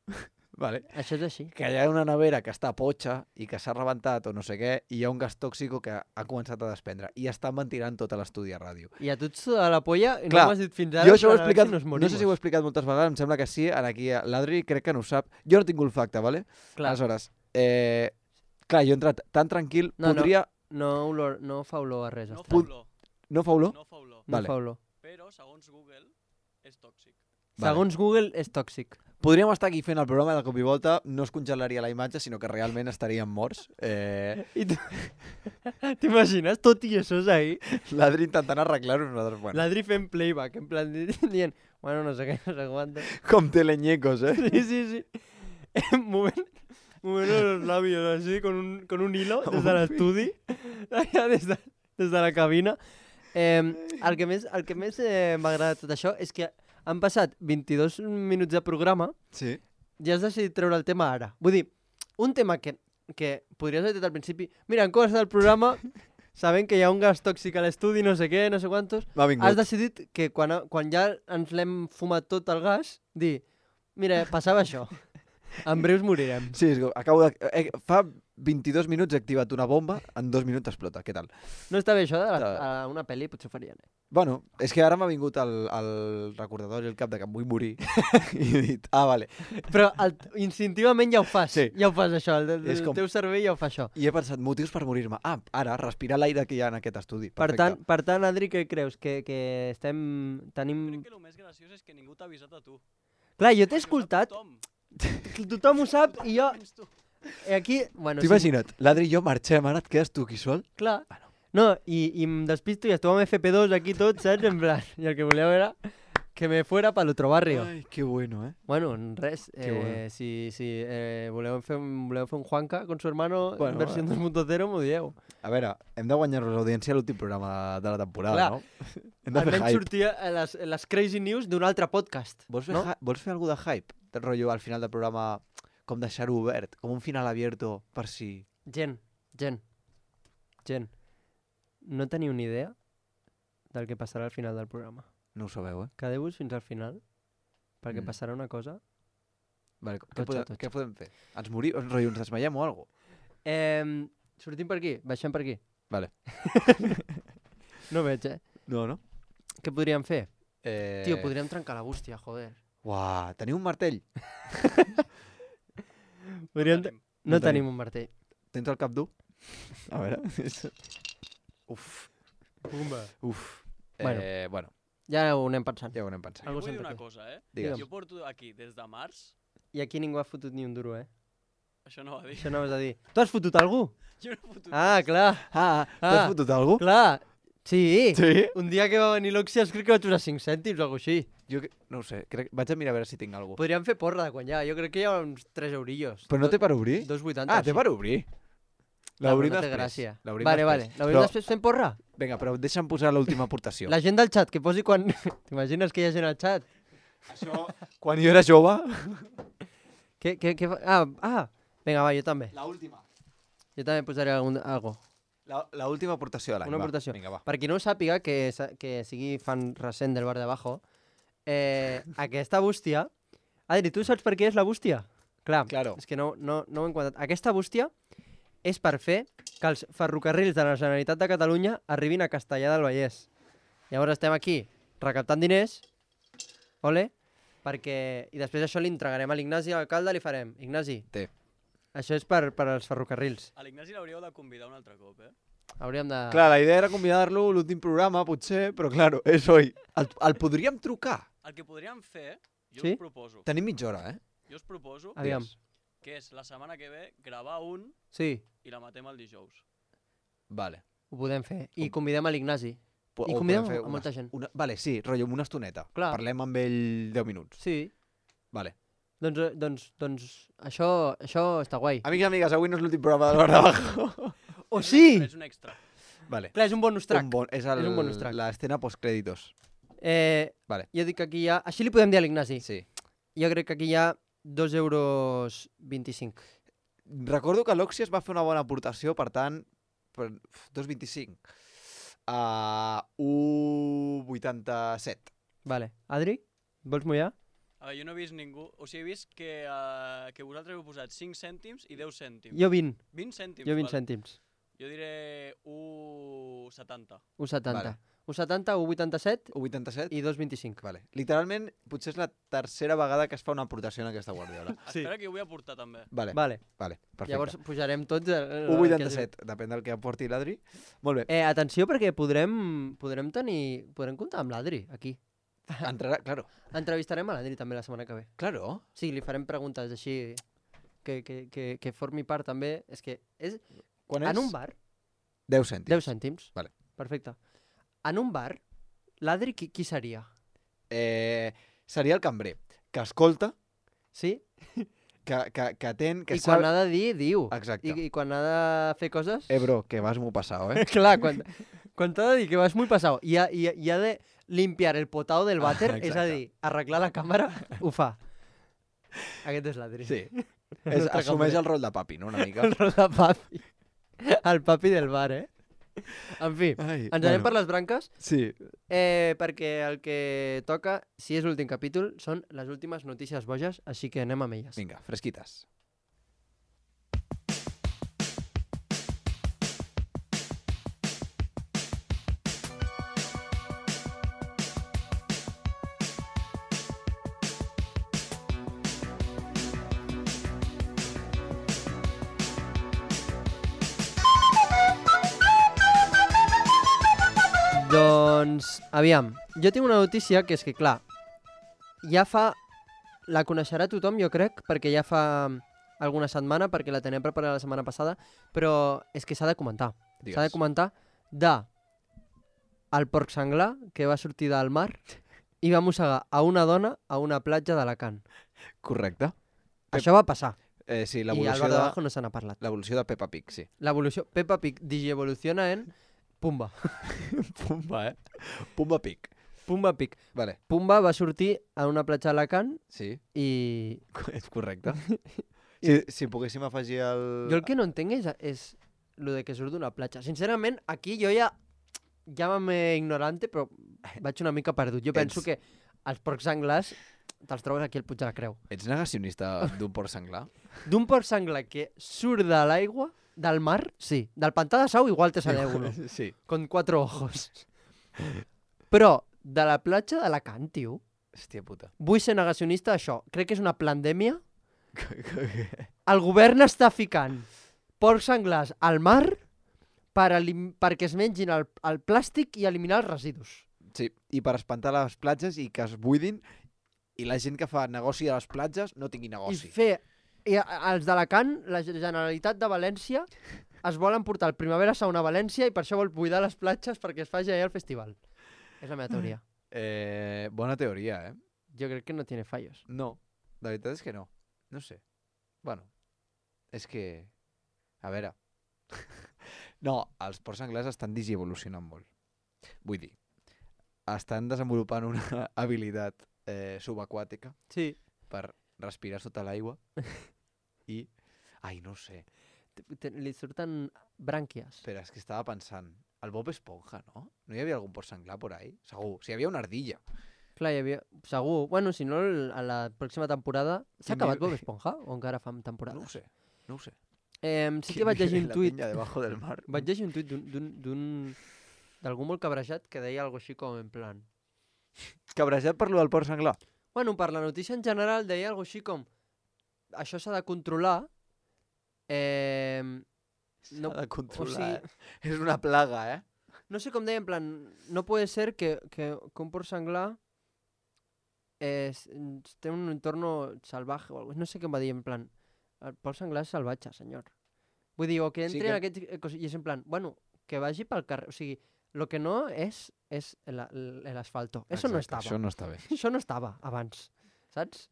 Vale. Això és així. Que hi ha una nevera que està potxa i que s'ha rebentat o no sé què, i hi ha un gas tòxico que ha començat a desprendre i estan ventilant tot l'estudi a ràdio. I a tu et suda la polla i Clar, no m'has dit fins ara. Jo això ho he per a veure explicat, si nos no morimos. sé si ho he explicat moltes vegades, em sembla que sí, aquí l'Adri crec que no ho sap. Jo no tinc olfacte, vale? Clar, Aleshores, clar, jo he entrat tan tranquil, No, podria... no fa olor a res. No estrany. fa olor. No fa olor? No fa olor. No Vale. fa olor. Però, segons Google, és tòxic. Vale. Segons Google, és tòxic. Podríem estar aquí fent el programa de cop i volta, no es congelaria la imatge, sinó que realment estaríem morts. I tu... T'imagines tot i això és ahí? L'Adri intentant arreglar-ho, nosaltres, bueno, L'Adri fent playback, en plan dient, bueno, no sé què, no sé quantos. com teleñecos, Sí. Movent los labios así, con un hilo, des de l'estudi, allà des de la cabina. El que més m'ha agradat tot això és que han passat 22 minuts de programa Sí. i has decidit treure el tema ara. Vull dir, un tema que podries haver dit al principi, mira, en començat el programa, sabent que hi ha un gas tòxic a l'estudi, no sé què, no sé quantos, M'ha vingut. has decidit que quan ja ens l'hem fumat tot el gas, dir, mira, passava això, en breus morirem. Sí, és que acabo de... fa 22 minuts he activat una bomba, en 2 minuts explota. Què tal? No està bé això de Està bé. a una pel·li, potser ho farien. Bueno, és que ara m'ha vingut el recordatori al cap de que em vull morir i he dit, vale. Però instintivament ja ho fas, Sí. ja ho fas això, el És com- teu cervell ja ho fa això. I he pensat, motius per morir-me. Ara, respirar l'aire que hi ha en aquest estudi. Per Perfecte. tant, Adri, què creus? Que tenim... Crec que el més graciós és que ningú t'ha avisat a tu. Clar, jo t'he Ho sap escoltat, tothom. tothom ho sap, i jo... Menys tu. Aquí, bueno, T'ho imagina't, l'Adri i jo marxem, ara et quedes tu aquí sol? Clar. No, i em despisto i esteu amb FP2 aquí tots, saps? En plan, i el que voleu era que me fuera para el otro barrio. Ai, que bueno, Bueno, res, Qué bueno. si voleu fer un Juanca con su hermano Bueno, versión 2.0, m'ho dieu. A veure, hem de guanyar-nos l'audiència a l'últim programa de la temporada, Clar. no? Hem de fer Almenys hype. sortia a les Crazy News d'un altre podcast. Vols fer, no? vols fer alguna de hype? Del rotllo al final del programa, com deixar-ho obert, com un final abierto per si... Gent. No teniu ni idea del que passarà al final del programa. No ho sabeu, eh? Quedeu-vos fins al final, perquè Mm. passarà una cosa. Vale, Totxa. què podem fer? Ens morim? Rotllo, ens desmaiem o alguna cosa? Sortim per aquí? Baixem per aquí? Vale. No veig, No? Què podríem fer? Eh... Tio, podríem trencar la bústia, joder. Uah, teniu un martell? Podríem... Tenim. No No tenim. tenim un martell. Tens el cap dur? A veure... Uf. Pumba. Uf. Bueno. Bueno, Ja ho anem pensant. Ja ho anem pensant. Algú Vull dir sempre una té. cosa, Digue'm. Jo porto aquí des de març, I aquí ningú ha fotut ni un duro, això no va dir. Això no vas a dir. Tu has fotut algú? Jo no he fotut Ah, clar. T'has fotut algú? Clar. Sí. Sí? Un dia que va venir l'Oxias crec que vaig posar 5 cèntims o alguna cosa així. Jo no ho sé, vaig a mirar a veure si tinc algú. Podríem fer porra de guanyar. Jo crec que hi ha uns 3 eurillos. Però no té per obrir? 2,80. Ah, té per obrir. L'obrim no té després. gràcia. L'obrim Vale, després. L'obrim després fent porra? Vinga, però deixa'm posar l'última aportació. La gent del xat, que posi quan... T'imagines que hi ha gent al xat? Això, quan jo era jove... Què fa? Vinga, va, jo també. L'última. Jo també posaré algo. L'última aportació de l'any. Una aportació. Vinga, va. Per qui no ho sàpiga, que sigui fan recent del bar de abajo, aquesta bústia... Adri, tu saps per què és la bústia? Clar, Claro. és que no ho hem comentat. Aquesta bústia és per fer que els ferrocarrils de la Generalitat de Catalunya arribin a Castellar del Vallès. Llavors estem aquí recaptant diners, ole, perquè... I després això li entregarem a l'Ignasi, a l'alcalde, li farem. Ignasi, Té. això és per als ferrocarrils. A l'Ignasi l'hauríeu de convidar un altre cop, Hauríem de... Clar, la idea era convidar-lo a l'últim programa, potser, però claro, és oi. El podríem trucar. El que podríem fer, jo Sí? us proposo, Tenim mitja hora, eh? jo us proposo Aviam. que és la setmana que ve gravar un Sí, i la matem el dijous. Vale. ho podem fer. I convidem a l'Ignasi. O I convidem podem fer a molta gent. Vale, sí, rotllo, una estoneta. Clar. Parlem amb ell 10 minuts. Sí. Vale. Doncs això està guai. Amics i amigues, avui no és l'últim programa del Bar d'Abajo. Oh, sí! És un extra. Vale. Clar, és un bonus track. És És un bonus track. l'escena postcrèditos. Vale. Jo dic que aquí hi ha... Així li podem dir a l'Ignasi. Sí. Jo crec que aquí hi ha 2,25 €. Recordo que l'Oxias va fer una bona aportació, per tant, per 2,25. 1,87. Vale. Adri, vols mullar? A veure, jo no he vist ningú... O sigui, he vist que vosaltres heu posat 5 cèntims i 10 cèntims. Jo 20. 20 cèntims, Jo 20 vale. cèntims. Jo diré 1,70. 1,70. Vale. 1,70, 1,87 1,87? i 2,25. Vale. Literalment, potser és la tercera vegada que es fa una aportació en aquesta guardiola. Sí. Espera que jo vull aportar també. Vale, Vale. perfecte. Llavors pujarem tots... 1,87, depèn del que aporti l'Adri. Molt bé. Atenció, perquè podrem comptar amb l'Adri, aquí. Entrarà, claro. Entrevistarem a l'Adri també la setmana que ve. Claro. Sí, li farem preguntes així que formi part també. És que és... Quan és? En un bar, 10 cèntims. 10 cèntims. Vale. Perfecte. En un bar, l'Adri qui seria? Seria el cambrer, que escolta, Sí? que atén, que I quan sap... ha de dir, diu. Exacte. I quan ha de fer coses... Bro, que vas molt passado, eh? Clar, quan t'ha de dir que vas muy pasado i ha de limpiar el potao del vàter, és a exacte. dir, arreglar la càmera, ho fa. Aquest és l'Adri. Sí. nostre Assumeix cambrer. el rol de papi, no? Una mica. El rol de papi. El papi del bar, En fi, Ai, ens anem per les branques, Sí. perquè el que toca, si és l'últim capítol, són les últimes notícies boges, així que anem amb elles. Vinga, fresquites. Doncs, aviam, jo tinc una notícia que és que, clar, ja fa... La coneixerà tothom, jo crec, perquè ja fa alguna setmana, perquè la tenia preparada la setmana passada, però és que s'ha de comentar. Digues. S'ha de comentar el porc senglar que va sortir del mar i va mossegar a una dona a una platja d'Alacant. Correcte. Això va passar. Sí, I al l'evolució bar de... d'abajo no se n'ha parlat. L'evolució de Peppa Pig, sí. L'evolució... Peppa Pig digievoluciona en Pumba. Pumba, Pumba Pig. Pumba Pig. Vale, Pumba va sortir a una platja d'Alacant sí, i... és correcte. Si poguéssim afegir el... Jo el que no entenc és lo de que surt d'una platja. Sincerament, aquí jo ja llámame ignorante, però vaig una mica perdut. Jo penso que els porcs senglars te'ls trobes aquí al Puig de la Creu. Ets negacionista d'un porc senglar? D'un porc senglar que surt de l'aigua, del mar, sí. Del pantà de Sau igual te sale uno. Sí. Con 4 ojos. Però de la platja d'Alacant, tio, Hòstia puta. vull ser negacionista d'això. Crec que és una pandèmia. El govern està ficant porcs senglars al mar perquè es mengin el plàstic i eliminar els residus. Sí, i per espantar les platges i que es buidin i la gent que fa negoci a les platges no tingui I negoci. els d'Alacant, la Generalitat de València, es volen portar el Primavera Sound a València i per això vol buidar les platges perquè es faci allà el festival. És la meva teoria. Bona teoria, eh? Jo crec que no tiene fallos. No, la veritat és que no. No sé. Bueno, és que... A veure... No, els porcs anglès estan digievolucionant molt. Vull dir, estan desenvolupant una habilitat subaquàtica Sí. per respirar sota l'aigua i... Ai, no sé. Li surten brànquies. Espera, és que estava pensant... El Bob Esponja, no? No hi havia algun porc senglar por ahí? Segur. Si hi havia una ardilla. Clar, hi havia... Segur. Bueno, si no, a la pròxima temporada... S'ha Quin acabat nivell- Bob Esponja? O encara fan temporades? No ho sé. No ho sé. Sí que vaig llegir un tuit... La peña debajo del mar. Vaig llegir un tuit d'algú molt cabrejat que deia alguna així com en plan... Cabrejat per lo del porc senglar. Bueno, per la notícia en general deia alguna així com... Això s'ha de controlar... S'ha de controlar, o sigui- És una plaga, eh? No sé com deia, en plan... No puede ser que un porc senglar té un entorno salvaje o algo. No sé què em va dir, en plan... El porc senglar és salvatge, senyor. Vull dir, o que Sí entri que- en aquest... I és en plan, bueno, que vagi pel carrer... O sigui, lo que no és l'asfalto. Eso no Exacte, estava. Això no està bé. Això no estava abans, saps?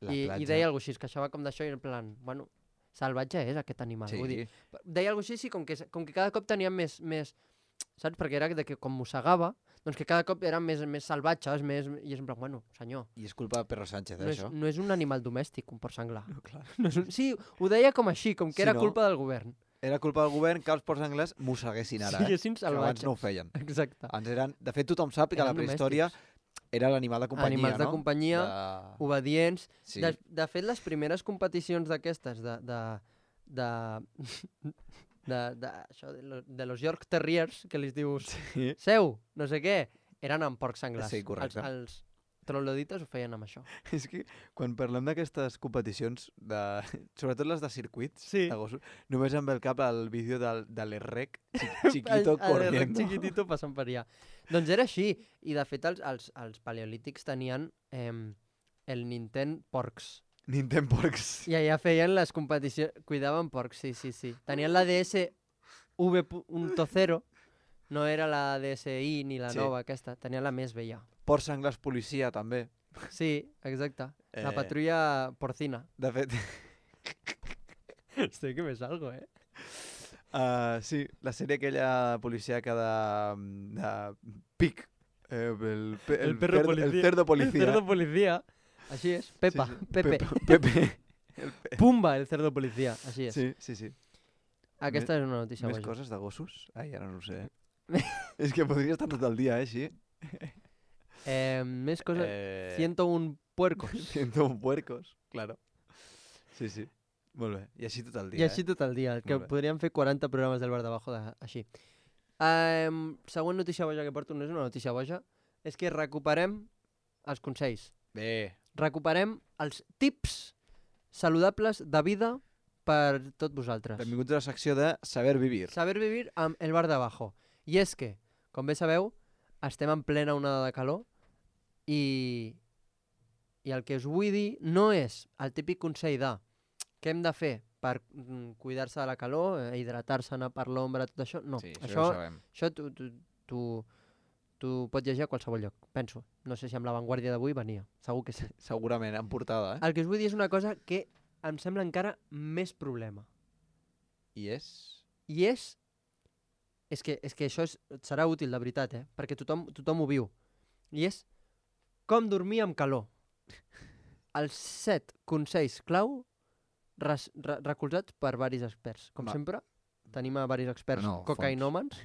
La I platja. deia alguna cosa així, es queixava com d'això i en plan, bueno, salvatge és aquest animal. Sí. Vull dir, deia alguna cosa així, sí, com que cada cop tenia més, saps? Perquè era de que com mossegava, doncs que cada cop eren més salvatges, i és en plan, bueno, senyor, I és culpa de Perro Sánchez, no és, això. no és un animal domèstic, un porc senglar. No, clar. No és sí, ho deia com així, com que Sí, era no? culpa del govern. Era culpa del govern que els porcs anglès mosseguessin ara, Siguessin que abans salvatges. no ho feien. Exacte. Abans eren... De fet, tothom sap que Eren la prehistòria era l'animal de companyia, Animals de no? companyia, De... obedients. Sí. De fet, les primeres competicions d'aquestes de los York Terriers, que li dius Sí. seu, no sé què, eren amb porcs senglars. Sí, correcte. Els troglodites ho feien amb això. És que quan parlem d'aquestes competicions, sobretot les de circuits, Sí. de gossos, només em ve al cap el vídeo de l'Errec chiquito El corriendo. chiquitito passant per allà. Doncs era així. I de fet els paleolítics tenien el Nintendo Porcs. Nintendo Porcs. I allà feien les competicions, cuidaven porcs, sí. Tenien la DS V.0, no era la DSi ni la Sí. nova aquesta, tenien la més vella. Porcs senglars policia, també. Sí, exacte. La Eh. patrulla porcina. De fet, Estoy que me salgo, eh? sí, la sèrie aquella policíaca de Pic. El perro policía. El cerdo policía. El cerdo policía. Així és. Pepa, Sí, sí. Pepe. Pepe. Pumba, el cerdo policía. Així és. Sí. Aquesta és una notícia Més boja. coses de gossos? Ai, ara no ho sé. És que podria estar tot el dia, així. Més coses. 101 puercos. 101 puercos, claro. Sí. Molt bé. I així tot el dia, I així tot el dia, que Molt bé. podríem fer 40 programes del bar d'abajo així. Següent notícia boja que porto no és una notícia boja, és que recuperem els consells. Bé. Recuperem els tips saludables de vida per tot vosaltres. Benvinguts a la secció de Saber Vivir. Saber vivir amb el bar d'abajo. I és que, com bé sabeu, estem en plena onada de calor i el que us vull dir no és el típic consell de què hem de fer per cuidar-se de la calor, hidratar-se, anar per l'ombra, tot això. No, Sí, això ho sabem. tu pots llegir a qualsevol lloc, penso. No sé si amb l'avantguàrdia d'avui venia, segur que sí. Segurament, en portada, El que us vull dir és una cosa que em sembla encara més problema. I és... I és que això serà útil, de veritat, perquè tothom ho viu. I és com dormir amb calor. Els 7 consells clau recolzats per varis experts. Com Va. sempre, tenim a varis experts No, cocainòmens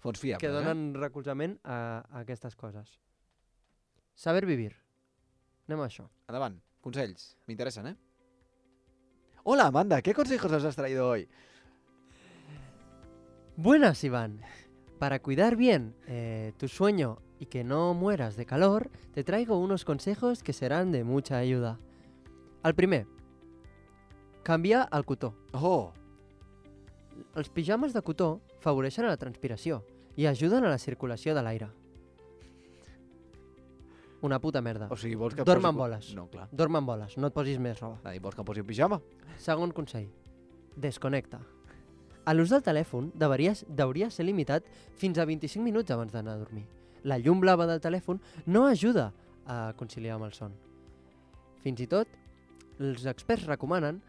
Fons fiables, que donen recolzament a aquestes coses. Saber vivir. Anem a això. Endavant, consells. M'interessen, ¿eh? Hola, Amanda, ¿qué consejos nos has traído hoy? Buenas, Iván. Para cuidar bien tu sueño y que no mueras de calor, te traigo unos consejos que serán de mucha ayuda. El primer, canviar el cotó. Oh, Els pijames de cotó afavoreixen la transpiració i ajuden a la circulació de l'aire. una puta merda. O sigui, vols que Dorm posi... amb boles. No, clar. Dorm amb boles, no et posis més roba. Vols que em posi un pijama? Segon consell. Desconnecta. A l'ús del telèfon hauria ser limitat fins a 25 minuts abans d'anar a dormir. La llum blava del telèfon no ajuda a conciliar amb el son. Fins i tot, els experts recomanen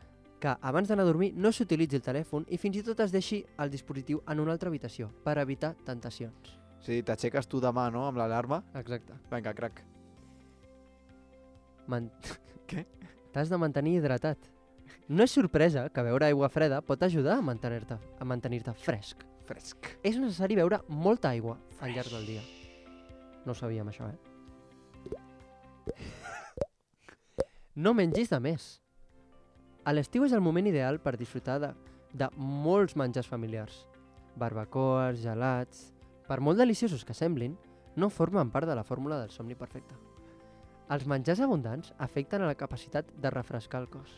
que abans d'anar a dormir no s'utilitzi el telèfon i fins i tot es deixi el dispositiu en una altra habitació per evitar tentacions. Sí, t'aixeques tu demà, no?, amb l'alarma. Exacte. Vinga, crac. Què? T'has de mantenir hidratat. No és sorpresa que beure aigua freda pot ajudar a mantenir-te fresc. Fresc. És necessari beure molta aigua al llarg del dia. No ho sabíem, això, No mengis de més. A l'estiu és el moment ideal per disfrutar de molts menjars familiars. Barbacoes, gelats... Per molt deliciosos que semblin, no formen part de la fórmula del somni perfecte. Els menjars abundants afecten a la capacitat de refrescar el cos.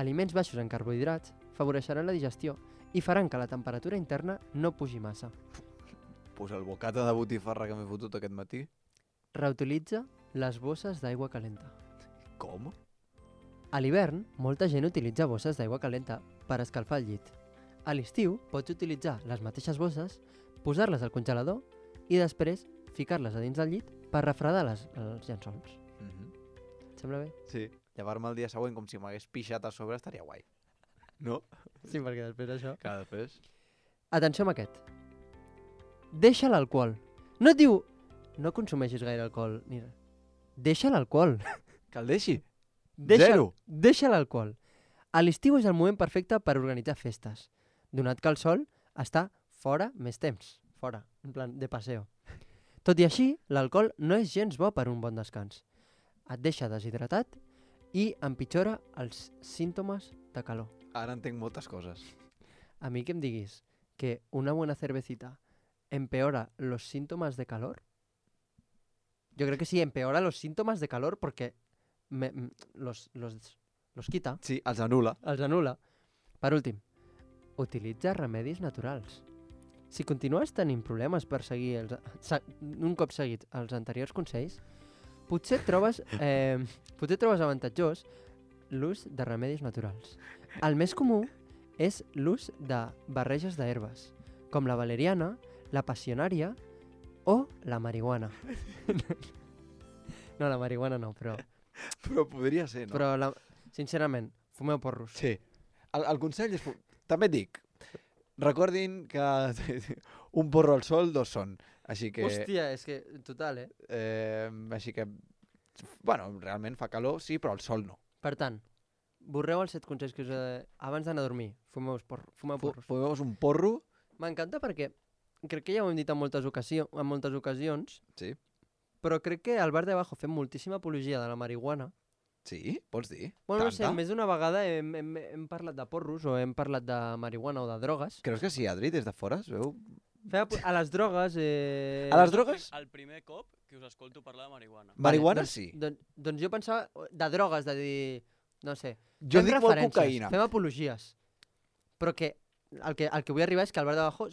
Aliments baixos en carbohidrats favoreixeran la digestió i faran que la temperatura interna no pugi massa. Pues el bocata de botifarra que m'he fotut aquest matí. Reutilitza les bosses d'aigua calenta. Com? A l'hivern, molta gent utilitza bosses d'aigua calenta per escalfar el llit. A l'estiu, pots utilitzar les mateixes bosses, posar-les al congelador i després ficar-les a dins del llit per refredar els llençols. Et sembla bé? Sí. Llevar-me el dia següent com si m'hagués pixat a sobre estaria guai. No? Sí, perquè després d'això... Cada després. Atenció amb aquest. Deixa l'alcohol. No et diu... No consumeixis gaire alcohol. Ni res. Deixa l'alcohol. Que el deixi? Zero. Deixa l'alcohol. A l'estiu és el moment perfecte per organitzar festes, donat que el sol està fora més temps. Fora, en plan de paseo. Tot i així, l'alcohol no és gens bo per un bon descans. Et deixa deshidratat i empitjora els símptomes de calor. Ara entenc moltes coses. A mi que em diguis que una buena cervecita empeora los síntomas de calor, yo creo que sí, empeora los síntomas de calor porque los quita, Sí, els anul·la. els anul·la. Per últim, utilitza remedis naturals. Si continues tenint problemes per seguir un cop seguits els anteriors consells, potser trobes avantatjós l'ús de remedis naturals. El més comú és l'ús de barreges d'herbes, com la valeriana, la passionària o la marihuana. No, la marihuana no, però Però podria ser, no? però sincerament, fumeu porros. Sí. El consell és... També et dic, recordin que un porro al sol, dos són. Així que... Hòstia, és que, total, Així que... Bueno, realment fa calor, sí, però al sol no. Per tant, borreu els 7 consells que us he... Abans d'anar a dormir, fumeu porros. Fumeu-vos un porro. M'encanta perquè crec que ja ho hem dit en moltes ocasions, Sí. però crec que al bar de abajo fem moltíssima apologia de la marihuana. Sí? Pots dir? Bueno, no sé, Tanta? més d'una vegada hem parlat de porros o hem parlat de marihuana o de drogues. Creus que sí, Adri, des de fora es veu? A les drogues... A les drogues? El primer cop que us escolto parlar de marihuana. Marihuana doncs, sí. Doncs jo pensava de drogues, de dir... No sé. Jo fem dic molt referències, cocaïna. Fem apologies. Però que el que vull arribar és que al bar de abajo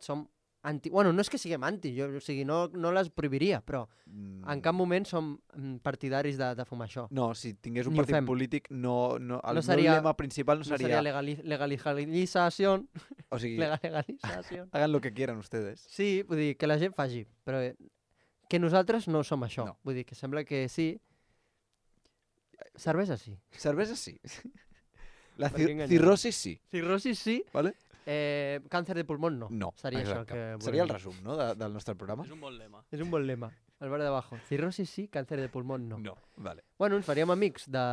som anti... Bueno, no és que siguem anti, o sigui, no les prohibiria, però en cap moment som partidaris de fumar això. No, si tingués un Ni ho partit fem. polític, el No meu seria- lema principal no No seria... seria legalització. O sigui, Legalització. hagan lo que quieran ustedes. Sí, vull dir, que la gent faci, però que nosaltres no som això. No. Vull dir, que sembla que sí. Cervesa sí. Cervesa sí. La Per què enganyar? cirrosis sí, Cirrosis sí. vale? Càncer de pulmó no. No, Seria això exacte. que volem Seria el dir. resum, no?, del nostre programa. És un bon lema. És un bon lema. Al bar de abajo. Cirrosis sí, càncer de pulmó no. No, vale. Bueno, ens faríem amics de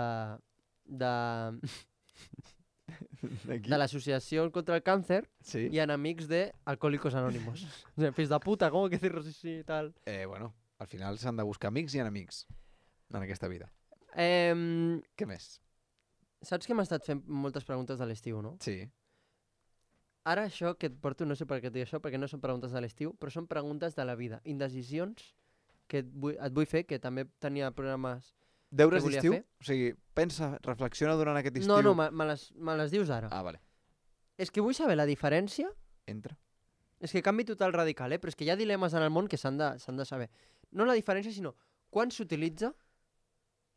D'aquí? l'associació contra el càncer Sí. i enemics de Alcohólicos Anónimos. O sea, fills de puta, com que cirrosis sí i tal. Bueno, al final s'han de buscar amics i enemics en aquesta vida. Què més? Saps que m'ha estat fent moltes preguntes de l'estiu, no? Sí. Ara això que et porto, no sé per què et dic això, perquè no són preguntes de l'estiu, però són preguntes de la vida. Indecisions que et vull fer, que també tenia programes... Deures volia d'estiu? fer? O sigui, pensa, reflexiona durant aquest estiu. No, no, me les dius ara. Ah, vale. És que vull saber la diferència. Entra. És que canvi total radical, però és que hi ha dilemes en el món que s'han de saber. No la diferència, sinó quan s'utilitza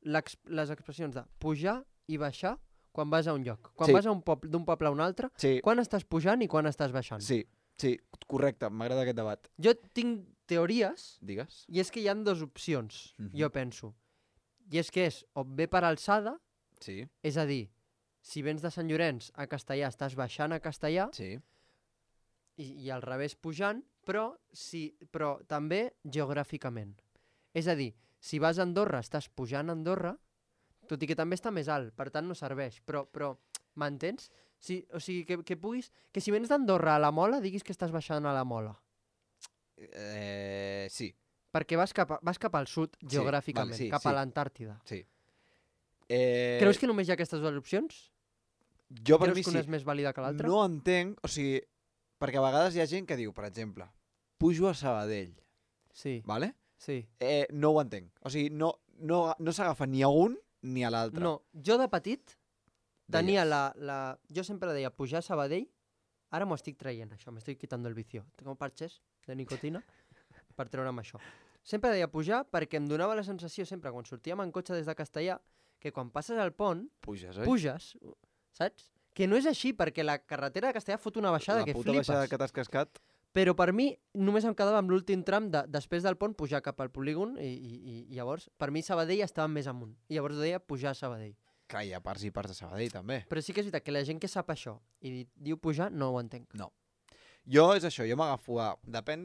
les expressions de pujar i baixar quan vas a un lloc? Quan Sí. vas a d'un poble a un altre, Sí, quan estàs pujant i quan estàs baixant? sí, correcte, m'agrada aquest debat. Jo tinc teories Digues. i és que hi han dues opcions, Mhm. jo penso. I és que és o bé per alçada, Sí, és a dir, si vens de Sant Llorenç a Castellà estàs baixant a Castellà sí. i al revés pujant, però també geogràficament. És a dir, si vas a Andorra estàs pujant a Andorra, tot i que també està més alt, per tant no serveix, però m'entens? O sigui, que puguis... Que si vens d'Andorra a la Mola, diguis que estàs baixant a la Mola. Sí. Perquè vas cap al sud, geogràficament, sí, cap sí. a l'Antàrtida. Sí. Creus que només hi ha aquestes dues opcions? jo per Creus mi que sí. una és més vàlida que l'altra? No entenc, o sigui, perquè a vegades hi ha gent que diu, per exemple, pujo a Sabadell, Sí, vale? sí. No ho entenc. O sigui, no s'agafa ni a un ni a l'altre. No, jo de petit tenia Deies. Jo sempre deia pujar a Sabadell, ara m'ho estic traient, això, m'estic quitando el vicio. Tengo parches de nicotina per treure'm això. Sempre deia pujar perquè em donava la sensació sempre, quan sortíem en cotxe des de Castellà, que quan passes al pont, Puges, oi? puges, saps? Que no és així, perquè la carretera de Castellà fot una baixada que La puta flipes. baixada que t'has cascat. Però per mi només em quedava amb l'últim tram després del pont pujar cap al polígon i llavors per mi Sabadell estava més amunt. I llavors deia pujar a Sabadell. Que hi ha parts i parts de Sabadell, també. Però sí que és veritat que la gent que sap això i diu pujar no ho entenc. Jo és això, jo m'agafo a... Depèn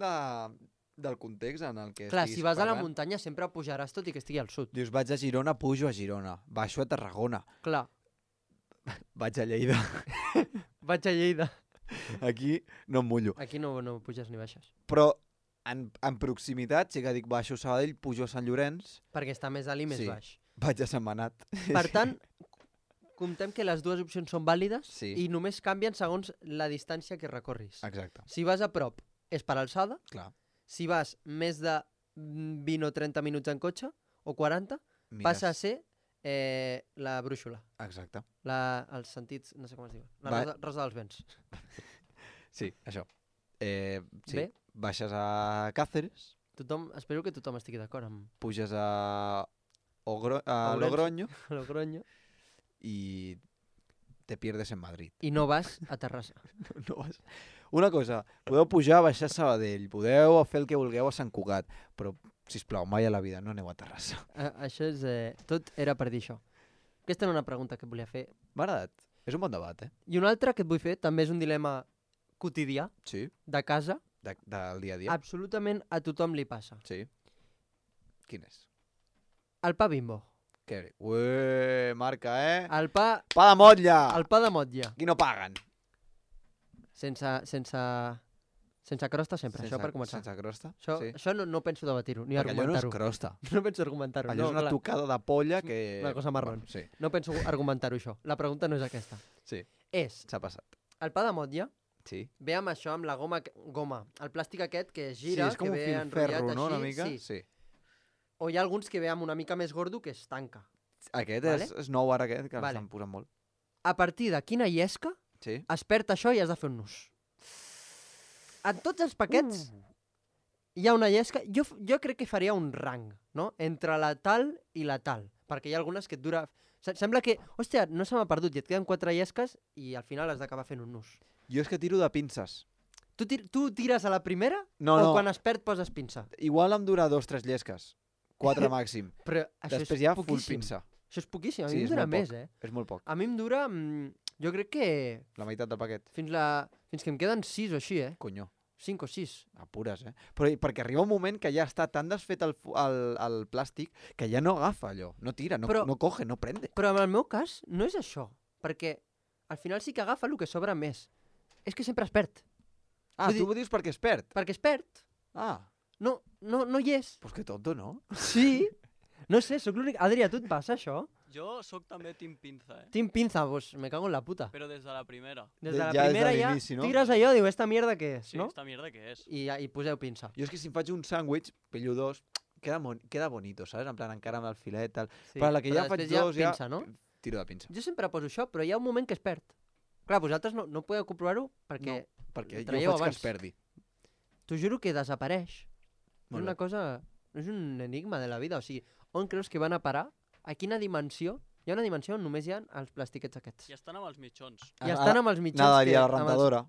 del context en el que Clar, estiguis si vas a la parlant. muntanya sempre pujaràs tot i que estigui al sud. Dius, vaig a Girona, pujo a Girona. Baixo a Tarragona. Clar, Vaig a Lleida. vaig a Lleida. Aquí no em mullo. Aquí no puges ni baixes. Però en proximitat sí que dic baixo a Sabadell, pujo a Sant Llorenç, Perquè està més alt i més Sí. baix. vaig a Sentmenat. Per tant, comptem que les dues opcions són vàlides Sí. i només canvien segons la distància que recorris. Exacte, Si vas a prop, és per alçada. clar. Si vas més de 20 o 30 minuts en cotxe, o 40, Mires. passa a ser la brúixola. Exacte. Els sentits, no sé com es diu. La Va- rosa dels vents. Sí, això. Sí. Bé. Baixes a Cáceres, Espero que tothom estigui d'acord amb puges a Ourense. Logroño Logroño. i te pierdes en Madrid. I no vas a Terrassa. No vas... Una cosa, podeu pujar, baixar a Sabadell, podeu fer el que vulgueu a Sant Cugat, però, sisplau, mai a la vida no aneu a Terrassa. Això és... tot era per dir això. Aquesta era una pregunta que et volia fer. M'ha agradat. És un bon debat, eh? I una altra que et vull fer, també és un dilema quotidià, Sí. de casa. Del dia a dia. Absolutament a tothom li passa. Sí. Quin és? El pa Bimbo. Què? Ué, marca, eh? El pa Pa de motlla! de motlla. Aquí no paguen. Sense crosta sempre, això per començar. Sense crosta? Això, sí. això no penso debatir-ho, ni Perquè allò no és argumentar-ho. crosta. No penso argumentar-ho. Allò és una tocada de polla que... Una cosa marrón. Bueno, sí, No penso argumentar-ho, això. La pregunta no és aquesta. sí, És, s'ha passat. el pa de motlla Sí. ve amb això, amb la goma, el plàstic aquest que es gira, sí, és com que un ve filferro, enrotllat no? així. Una mica? Sí. Sí. O hi ha alguns que ve amb una mica més gordo que es tanca. Aquest Vale. és nou ara, aquest, que Vale. l'estan posant molt. A partir de quina llesca Sí. es perd això i has de fer un nus? En tots els paquets hi ha una llesca. Jo crec que faria un rang, no? Entre la tal i la tal. Perquè hi ha algunes que et dura... Sembla que, hòstia, no se m'ha perdut i et queden 4 llesques i al final has d'acabar fent un nus. Jo és que tiro de pinces. Tu tires a la primera No, o no. quan es perd poses pinça? Igual em dura 2 o 3 llesques. 4 màxim. Però això Després és ja full poquíssim. pinça. Això és poquíssim. A Sí, mi em és dura molt més, poc. eh? És molt poc. A mi em dura... jo crec que La meitat del paquet. fins que em queden 6 o així, eh? Conyo. 5 o 6. Apures, eh? Però perquè arriba un moment que ja està tan desfet el plàstic que ja no agafa allò. No tira, no, Però- no coge, no prende. Però en el meu cas no és això. Perquè al final sí que agafa el que sobra més. És que sempre es perd. Ah, vull tu dir- ho dius perquè es perd. Perquè es perd. Ah, No hi és. pues que tonto, no? Sí. No sé, sóc l'únic... Adrià, a tu et passa això? Jo sóc també team pinza, Team Pinza, pues me cago en la puta. però des de la primera. Des de la Ja des de primera ja l'inici, no? tires allò, diu, esta mierda què és, Sí, no? esta mierda què és? I poseu pinça. Jo és que si em faig un sàndwich, pillo 2, queda bonito, saps? En plan, encara amb el filet, tal. Sí. Però la que ja faig després 2, ja... pinça, no? Tiro de pinça. Jo sempre poso això, però hi ha un moment que es perd. Clar, vosaltres no podeu comprovar-ho perquè Perquè ho jo traieu faig que abans. es perdi. t'ho juro que desapareix. És Molt una bé. cosa És un enigma de la vida. O sigui, on creus que van a parar? A quina dimensió? Hi ha una dimensió on només hi ha els plastiquets aquests. I estan amb els mitjons. I estan amb els mitjons Anava a dir que... a la amb els- rentadora.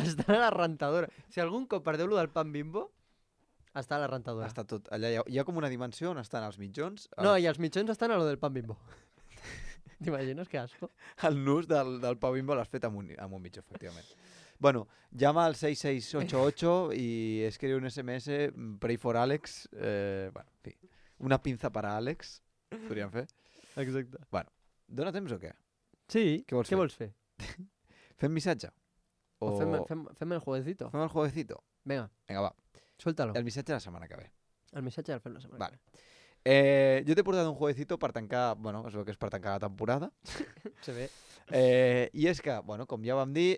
Estan a la rentadora. Si algun cop perdeu lo del pan Bimbo, està a la rentadora. Està tot. Allà hi ha com una dimensió on estan els mitjons, No, i els mitjons estan a lo del pan Bimbo. T'imagines que asco? el nus del Pau Bimbo l'has fet amb un mitjó, efectivament. Bueno, llama al 6688 y escribe un SMS, pray for Alex. Bueno, en fi, una pinza para Alex, podríem fer. Exacte. Dóna temps o què? Sí, Què vols què fer? vols fer? Fem missatge? O fem el jueguecito. Fem el jueguecito? Vinga, Vinga, va. suéltalo. El missatge la setmana que ve. El missatge el fem la setmana. Vale. Jo t'he portat un jueguecito per tancar, bueno, es veu que és per tancar la temporada. Se ve. I és que, bueno, com ja vam dir,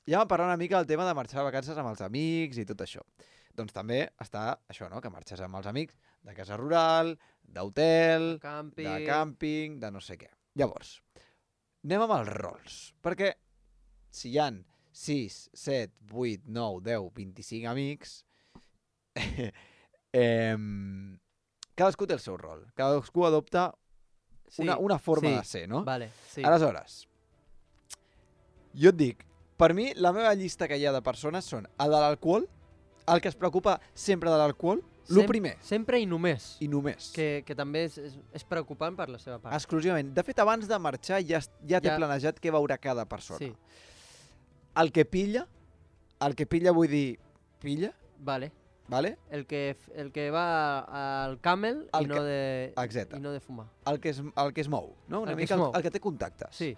ja vam parlar una mica del tema de marxar de vacances amb els amics i tot això. Doncs també està això, no?, que marxes amb els amics de casa rural, d'hotel, Campi... de càmping, de no sé què. Llavors, anem amb els rols, perquè si hi han 6, 7, 8, 9, 10, 25 amics, cadascú té el seu rol, cadascú adopta una forma sí. de ser, no? Vale, sí. Aleshores, jo et dic, per mi la meva llista que hi ha de persones són el de l'alcohol, el que es preocupa sempre de l'alcohol, el primer Sempre i només. i només. Que també és preocupant per la seva part. Exclusivament. De fet, abans de marxar ja té planejat què veurà cada persona. Sí, El que pilla vull dir pilla, vale. vale? El que va al camel El i no de Exacte. i no de fumar. El que es mou, no? Una El que mica es mou. el que té contactes. Sí.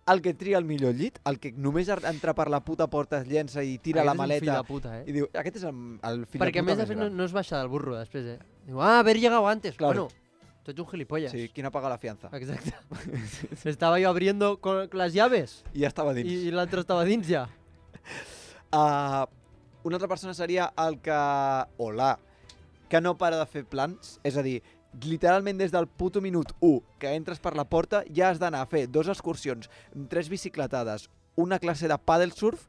El que tria el millor llit, el que només entra per la puta porta es llença i tira la Aquest és un maleta fill de puta, i diu, aquest és el fill Perquè de a puta més més després gran. no es baixa del burro després, Diu, haver llegado antes. Claro. Bueno, tú ets un gilipollas. Sí, qui no paga la fianza? Exacte. Estaba yo abriendo con las llaves I ja estava dins. i l'altre estava dins ja. Una altra persona seria el que... que no para de fer plans, és a dir, literalment des del puto minut 1 que entres per la porta ja has d'anar a fer 2 excursions, 3 bicicletades, una classe de paddle surf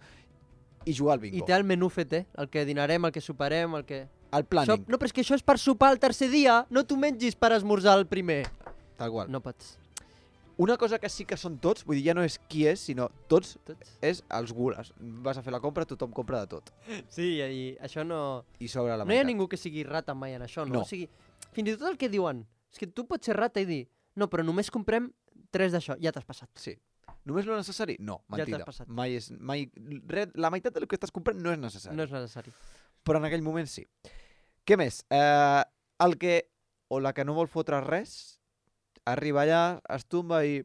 i jugar al bingo. I té el menú fet, el que dinarem, el que soparem, el que... El planning, No, però és que això és per sopar el tercer dia, no t'ho mengis per esmorzar el primer. tal qual. No pots. Una cosa que sí que són tots, vull dir, ja no és qui és, sinó tots, Tots. és els gules. Vas a fer la compra, tothom compra de tot. Sí, i això no... I sobre la No hi ha meitat. ningú que sigui rata mai en això, no? No. O sigui, fins i tot el que diuen, és que tu pots ser rata i dir, no, però només comprem 3 d'això, ja t'has passat. Sí. Només lo necessari? No, Ja t'has mentida. passat. La meitat del que estàs comprant no és necessari. No és necessari. Però en aquell moment sí. Què més? El que, o la que no vol fotre res, arriba allà, es tomba i...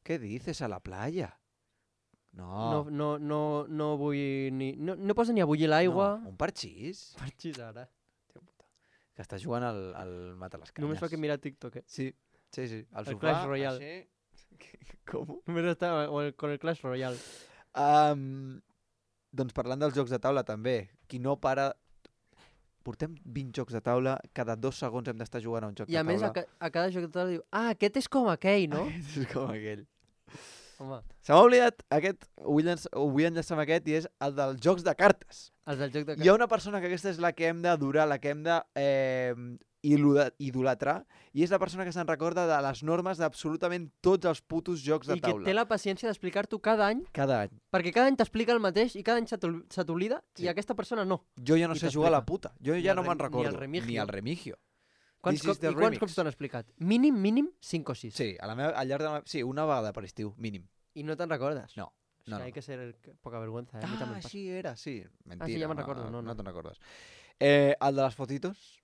Què dices a la playa? No. No vull ni... No posa ni a bullir l'aigua. No, un parxís. Parxís ara. Que està jugant al mata les canyes. Només fa que mirar TikTok, Sí. Al El sofà, Clash Royale. així. Com? Només està con el Clash Royale. Doncs parlant dels jocs de taula també, qui no para... Portem 20 jocs de taula, cada 2 segons hem d'estar jugant a un joc I de a més, taula. a cada joc de taula diu, aquest és com aquell, no? És com aquell. Home, Se m'ha oblidat aquest, ho vull enllaçar amb aquest, i és el dels jocs de cartes. els del joc de Hi ha una persona que aquesta és la que hem d'adorar, la que hem de idolatrar, i és la persona que se'n recorda de les normes d'absolutament tots els putos jocs de I que taula. té la paciència d'explicar-t'ho cada any, Cada any. perquè cada any t'explica el mateix i cada any se t'oblida, Sí. i aquesta persona no. Jo ja no I sé jugar a la t'explica. puta. Jo Ni ja el no me'n ni el recordo. remigio. Ni el remigio. Quants This is the I quants remix. cops t'ho han explicat? Mínim 5 o 6. Sí, al llarg de sí, una vegada per estiu, mínim. I no te'n recordes. No. O No, sigui, no. hay que ser poca vergüenza. A mi també em passa. així era, sí. Mentira. ja me'n recordo, no. No te'n recordes. El de les fotitos,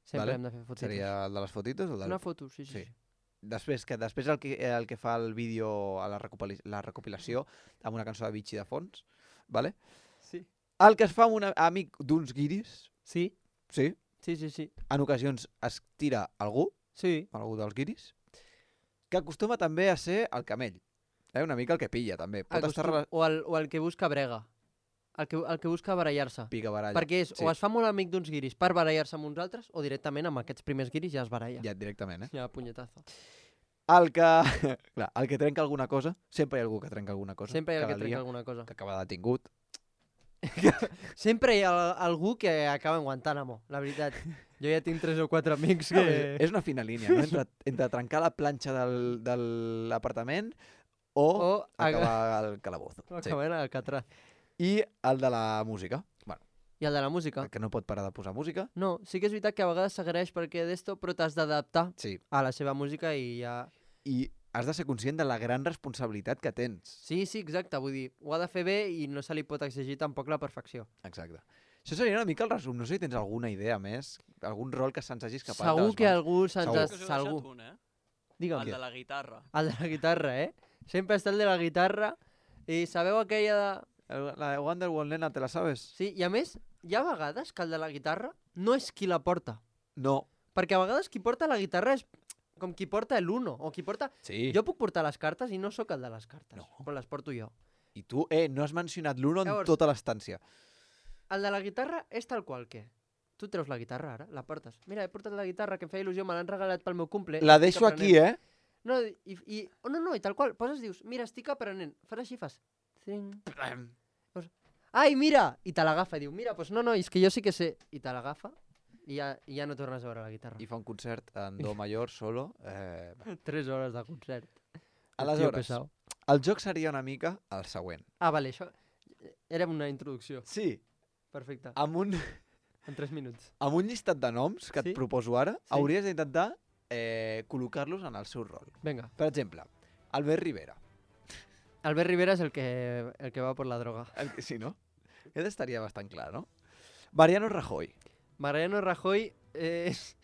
Sempre vale. hem de fer fotitos. seria el de les fotitos? O el del... Una foto, sí. Sí. Després el que fa el vídeo a la recopilació amb una cançó de Vichy de fons, vale? Sí. El que es fa amb un amic d'uns guiris, Sí, sí, sí. en ocasions es tira algú dels guiris, que acostuma també a ser el camell. Una mica el que pilla, també. Pot estar O el que busca brega. El que busca barallar-se. pica baralla. Perquè Sí. o es fa molt amic d'uns guiris per barallar-se amb uns altres, o directament amb aquests primers guiris ja es baralla. Ja, directament, Ja, punyetazo. El que... Clar, el que trenca alguna cosa, sempre hi ha algú que trenca alguna cosa. Sempre hi ha el cada que trenca dia, alguna cosa. que acaba detingut. Sempre hi ha algú que acaba en Guantánamo, la veritat. Jo ja tinc 3 o 4 amics que... És una fina línia, no? Entre trencar la planxa de l'apartament o acabar al calabozo. O acabar en Alcatraz. I el de la música. Bueno, I el de la música? el que no pot parar de posar música. No, sí que és veritat que a vegades s'agraeix perquè d'esto, però t'has d'adaptar Sí. a la seva música i ja... I has de ser conscient de la gran responsabilitat que tens. Sí, exacte, vull dir, ho ha de fer bé i no se li pot exigir tampoc la perfecció. Exacte. Això seria una mica el resum. No sé si tens alguna idea més, algun rol que se'ns hagi escapat de Segur les que mans. algú se'ns Segur. ha... Que us heu Algú. deixat un, Digue'm. El de la guitarra. El de la guitarra, Sempre està el de la guitarra i sabeu aquella de... La de Wonderwall, nena, ¿te la sabes? Sí, i a més, hi ha vegades que el de la guitarra no és qui la porta. No. Perquè a vegades qui porta la guitarra és com qui porta l'uno, o qui porta... Sí. Jo puc portar les cartes i no sóc el de les cartes, No. però les porto jo. I tu, no has mencionat l'Uno en Llavors- tota l'estància. El de la guitarra és tal qual que... Tu treus la guitarra ara, la portes. Mira, he portat la guitarra que em feia il·lusió, me l'han regalat pel meu cumple. La estic deixo aquí, aprenent. No, no, i tal qual, poses, dius, mira, estic aprenent. Fas així, fas... Tring. Ai, mira! I te l'agafa i diu, mira, doncs no, és que jo sí que sé. I te l'agafa i ja no tornes a veure la guitarra. I fa un concert en do major, solo. 3 hores de concert. Aleshores, Tio pesau. el joc seria una mica el següent. Ah, vale, això era una introducció. Sí, Perfecte. amb un minuts. amb un llistat de noms que Sí? et proposo ara, Sí. hauries d'intentar col·locar-los en el seu rol. Vinga. Per exemple, Albert Rivera. Albert Rivera és el que va per la droga. Sí, no? Aquest estaria bastant clar, no? Mariano Rajoy. Mariano Rajoy és...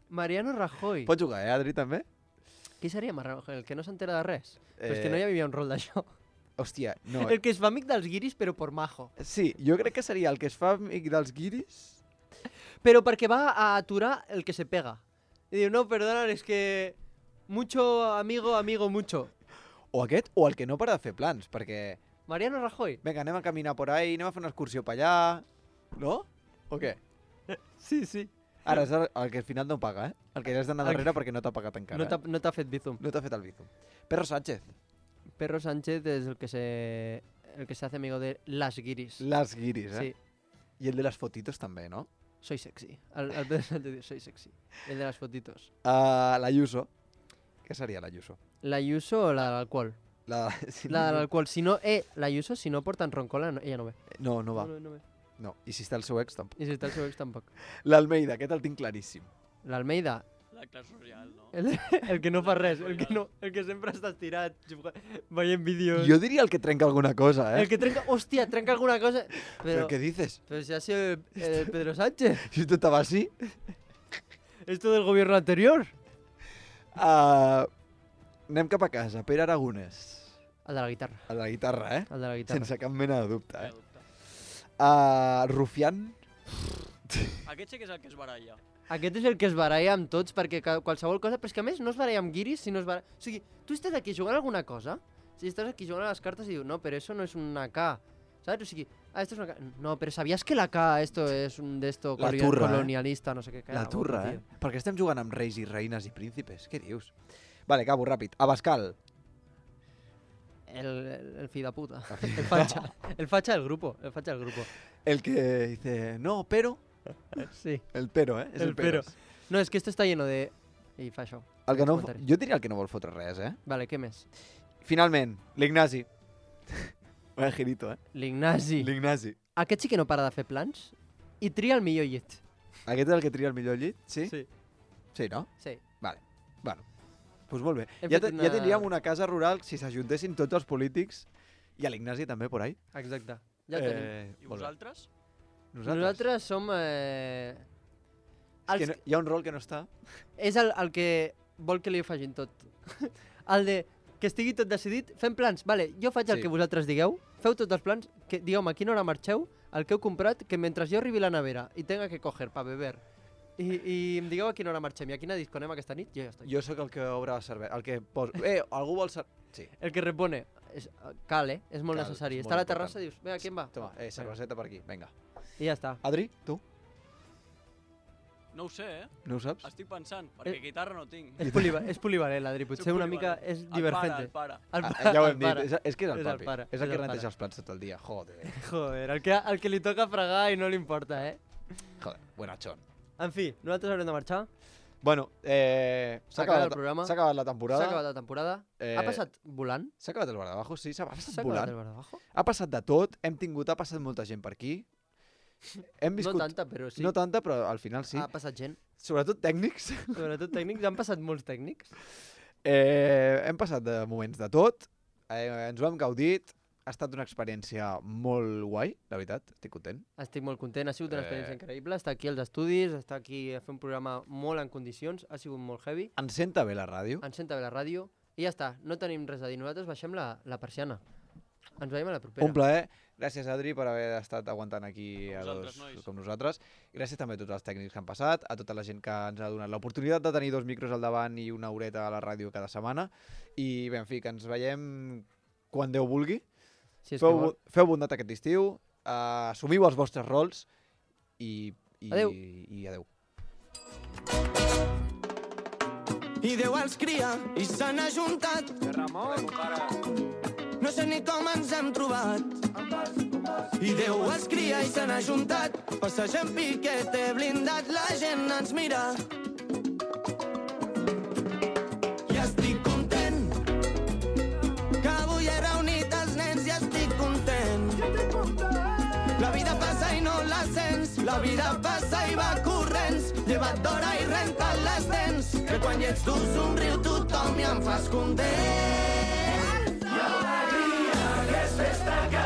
Mariano Rajoy. Pots jugar, Adri, també? Qui seria Mariano Rajoy? El que no s'entera de res? Però és que no hi havia un rol d'això. Hòstia, no. El que es fa amic dels guiris, però por majo. Sí, jo crec que seria el que es fa amic dels guiris. Però perquè va a aturar el que se pega. I diu, no, perdona, és que... Mucho amigo, mucho. O aquest, o el que no para de fer plans, perquè... Mariano Rajoy. Vinga, anem a caminar por ahí, anem a fer una excursió per allà... No? O què? Sí, sí. Ara és el que al final no paga, El que has d'anar El darrere perquè no t'ha pagat encara. No t'ha fet bizum. No t'ha fet el bizum. Perro Sánchez. Perro Sánchez es el que se hace amigo de las guiris. Las guiris, Sí, I el de les fotitos també, no? soy sexy. El Pedro Sánchez diu, soy sexy. El de las fotitos. L'Ayuso. Què seria l'Ayuso? La Ayuso o la de l'alcohol? Sí, La de l'alcohol. Si no, la Ayuso, si no porten roncola, ella no ve. No va. No ve. No. I si està el seu ex, tampoc. I si està el seu ex, tampoc. L'Almeida, aquest el tinc claríssim. L'Almeida, La classe social, no? el que no fa res, el que sempre està estirat, veient vídeos. Jo diria el que trenca alguna cosa, El que trenca, hòstia, trenca alguna cosa. ¿Pero qué dices? Pero si ha sido el Pedro Sánchez. Si esto estaba así. Esto del gobierno anterior. Anem cap a casa. Pere Aragonès. El de la guitarra. El de la guitarra, El de la guitarra. Sense cap mena de dubte, Cap dubte. Rufián. Aquest sí que és el que es baralla. Aquest és el que es baralla amb tots, perquè qualsevol cosa... Però és que a més no es baralla amb guiris, sinó es baralla... O sigui, tu estàs aquí jugant a alguna cosa, si estàs aquí jugant a les cartes i dius, no, però eso no es una K, ¿sabes? O sigui, esto es una K. No, pero ¿sabías que la K, esto es un de esto La turra, colonialista, no sé què? La turra, Per què estem jugant amb reis i reines i príncipes? Què dius? Vale, acabo ràpid. Abascal. El fill de puta. El facha del grupo. El facha del grupo. El que dice, no, pero... Sí. El pero, És el pero. No, és que esto está lleno de... I fa això. El que no, Comentaris. jo diria el que no vol fotre res, Vale, què més? Finalment, l'Ignasi. Vaya girito, L'Ignasi. L'Ignasi. Aquest sí que no para de fer plans i tria el millor llit. Aquest és el que tria el millor llit? Sí? Sí. Sí, no? Sí. Vale. Bueno, doncs molt bé. Hem Ja, fet ja tindríem una casa rural si s'ajuntessin tots els polítics i a l'Ignasi també, por ahí. Exacte. Ja ho tenim. I molt bé. vosaltres? Nosaltres som... És que no, hi ha un rol que no està. És el que vol que li ho facin tot. El de que estigui tot decidit, fem plans. Vale, jo faig el Sí. que vosaltres digueu, feu tots els plans, que digueu-me a quina hora marxeu, el que heu comprat, que mentre jo arribi a la nevera i tenga que coger pa beber i em digueu a quina hora marxem i a quina disco anem aquesta nit, jo ja estic. Jo sóc el que obre la cervesa, el que posa... algú vol... Sí. El que repone, cal, és molt Cal, necessari. és Està a la molt terrassa i dius, vinga, qui em va? Toma, cerveseta per aquí, vinga. I ja està. Adri, tu? No ho sé, No ho saps? Estic pensant, perquè guitarra no tinc. És polivalent, l'Adri, potser una mica és divergente. El pare. Ja ho hem el pare. dit, és que és el És el papi. pare, És és el que el neteja pare. els plats tot el dia. Joder. Joder, el que li toca fregar i no li importa, Joder, buenachón. En fi, nosaltres haurem de marxar. Bueno, s'ha acabat el programa. S'ha acabat la temporada. S'ha acabat la temporada. Ha passat volant. S'ha acabat el Bardabajo, sí, s'ha passat S'ha acabat volant. el Bardabajo. Ha passat de tot, ha passat molta gent per aquí. Hem viscut... No tanta, però sí. No tanta, però al final sí. Ha passat gent. Sobretot tècnics. Sobretot tècnics, han passat molts tècnics. Hem passat de moments de tot, ens ho hem gaudit, ha estat una experiència molt guai, la veritat, estic content. Estic molt content, ha sigut una experiència increïble. Estar aquí als estudis, estar aquí a fer un programa molt en condicions, ha sigut molt heavy. Ens senta bé la ràdio. Ens senta bé la ràdio i ja està, no tenim res a dir. Nosaltres baixem la persiana. Ens veiem a la propera. Un plaer. Gràcies, Adri, per haver estat aguantant aquí a Vosaltres, dos nois. com nosaltres. Gràcies també a tots els tècnics que han passat, a tota la gent que ens ha donat l'oportunitat de tenir 2 micros al davant i una horeta a la ràdio cada setmana. I bé, en fi, que ens veiem quan Déu vulgui. Si és que vol. Feu bondat aquest estiu, assumiu els vostres rols i Adéu. I adéu. I Déu els cria i se n'ha juntat. No sé ni com ens hem trobat. I Déu els cria i se n'ha juntat. Passegem piquete blindat, la gent ens mira. I estic content que avui he reunit els nens i estic content. La vida passa i no la sents, la vida passa i va corrents. Lleva't d'hora i renta't les dents, que quan hi ets tu somriu tothom i em fas content. I alegria que és festa que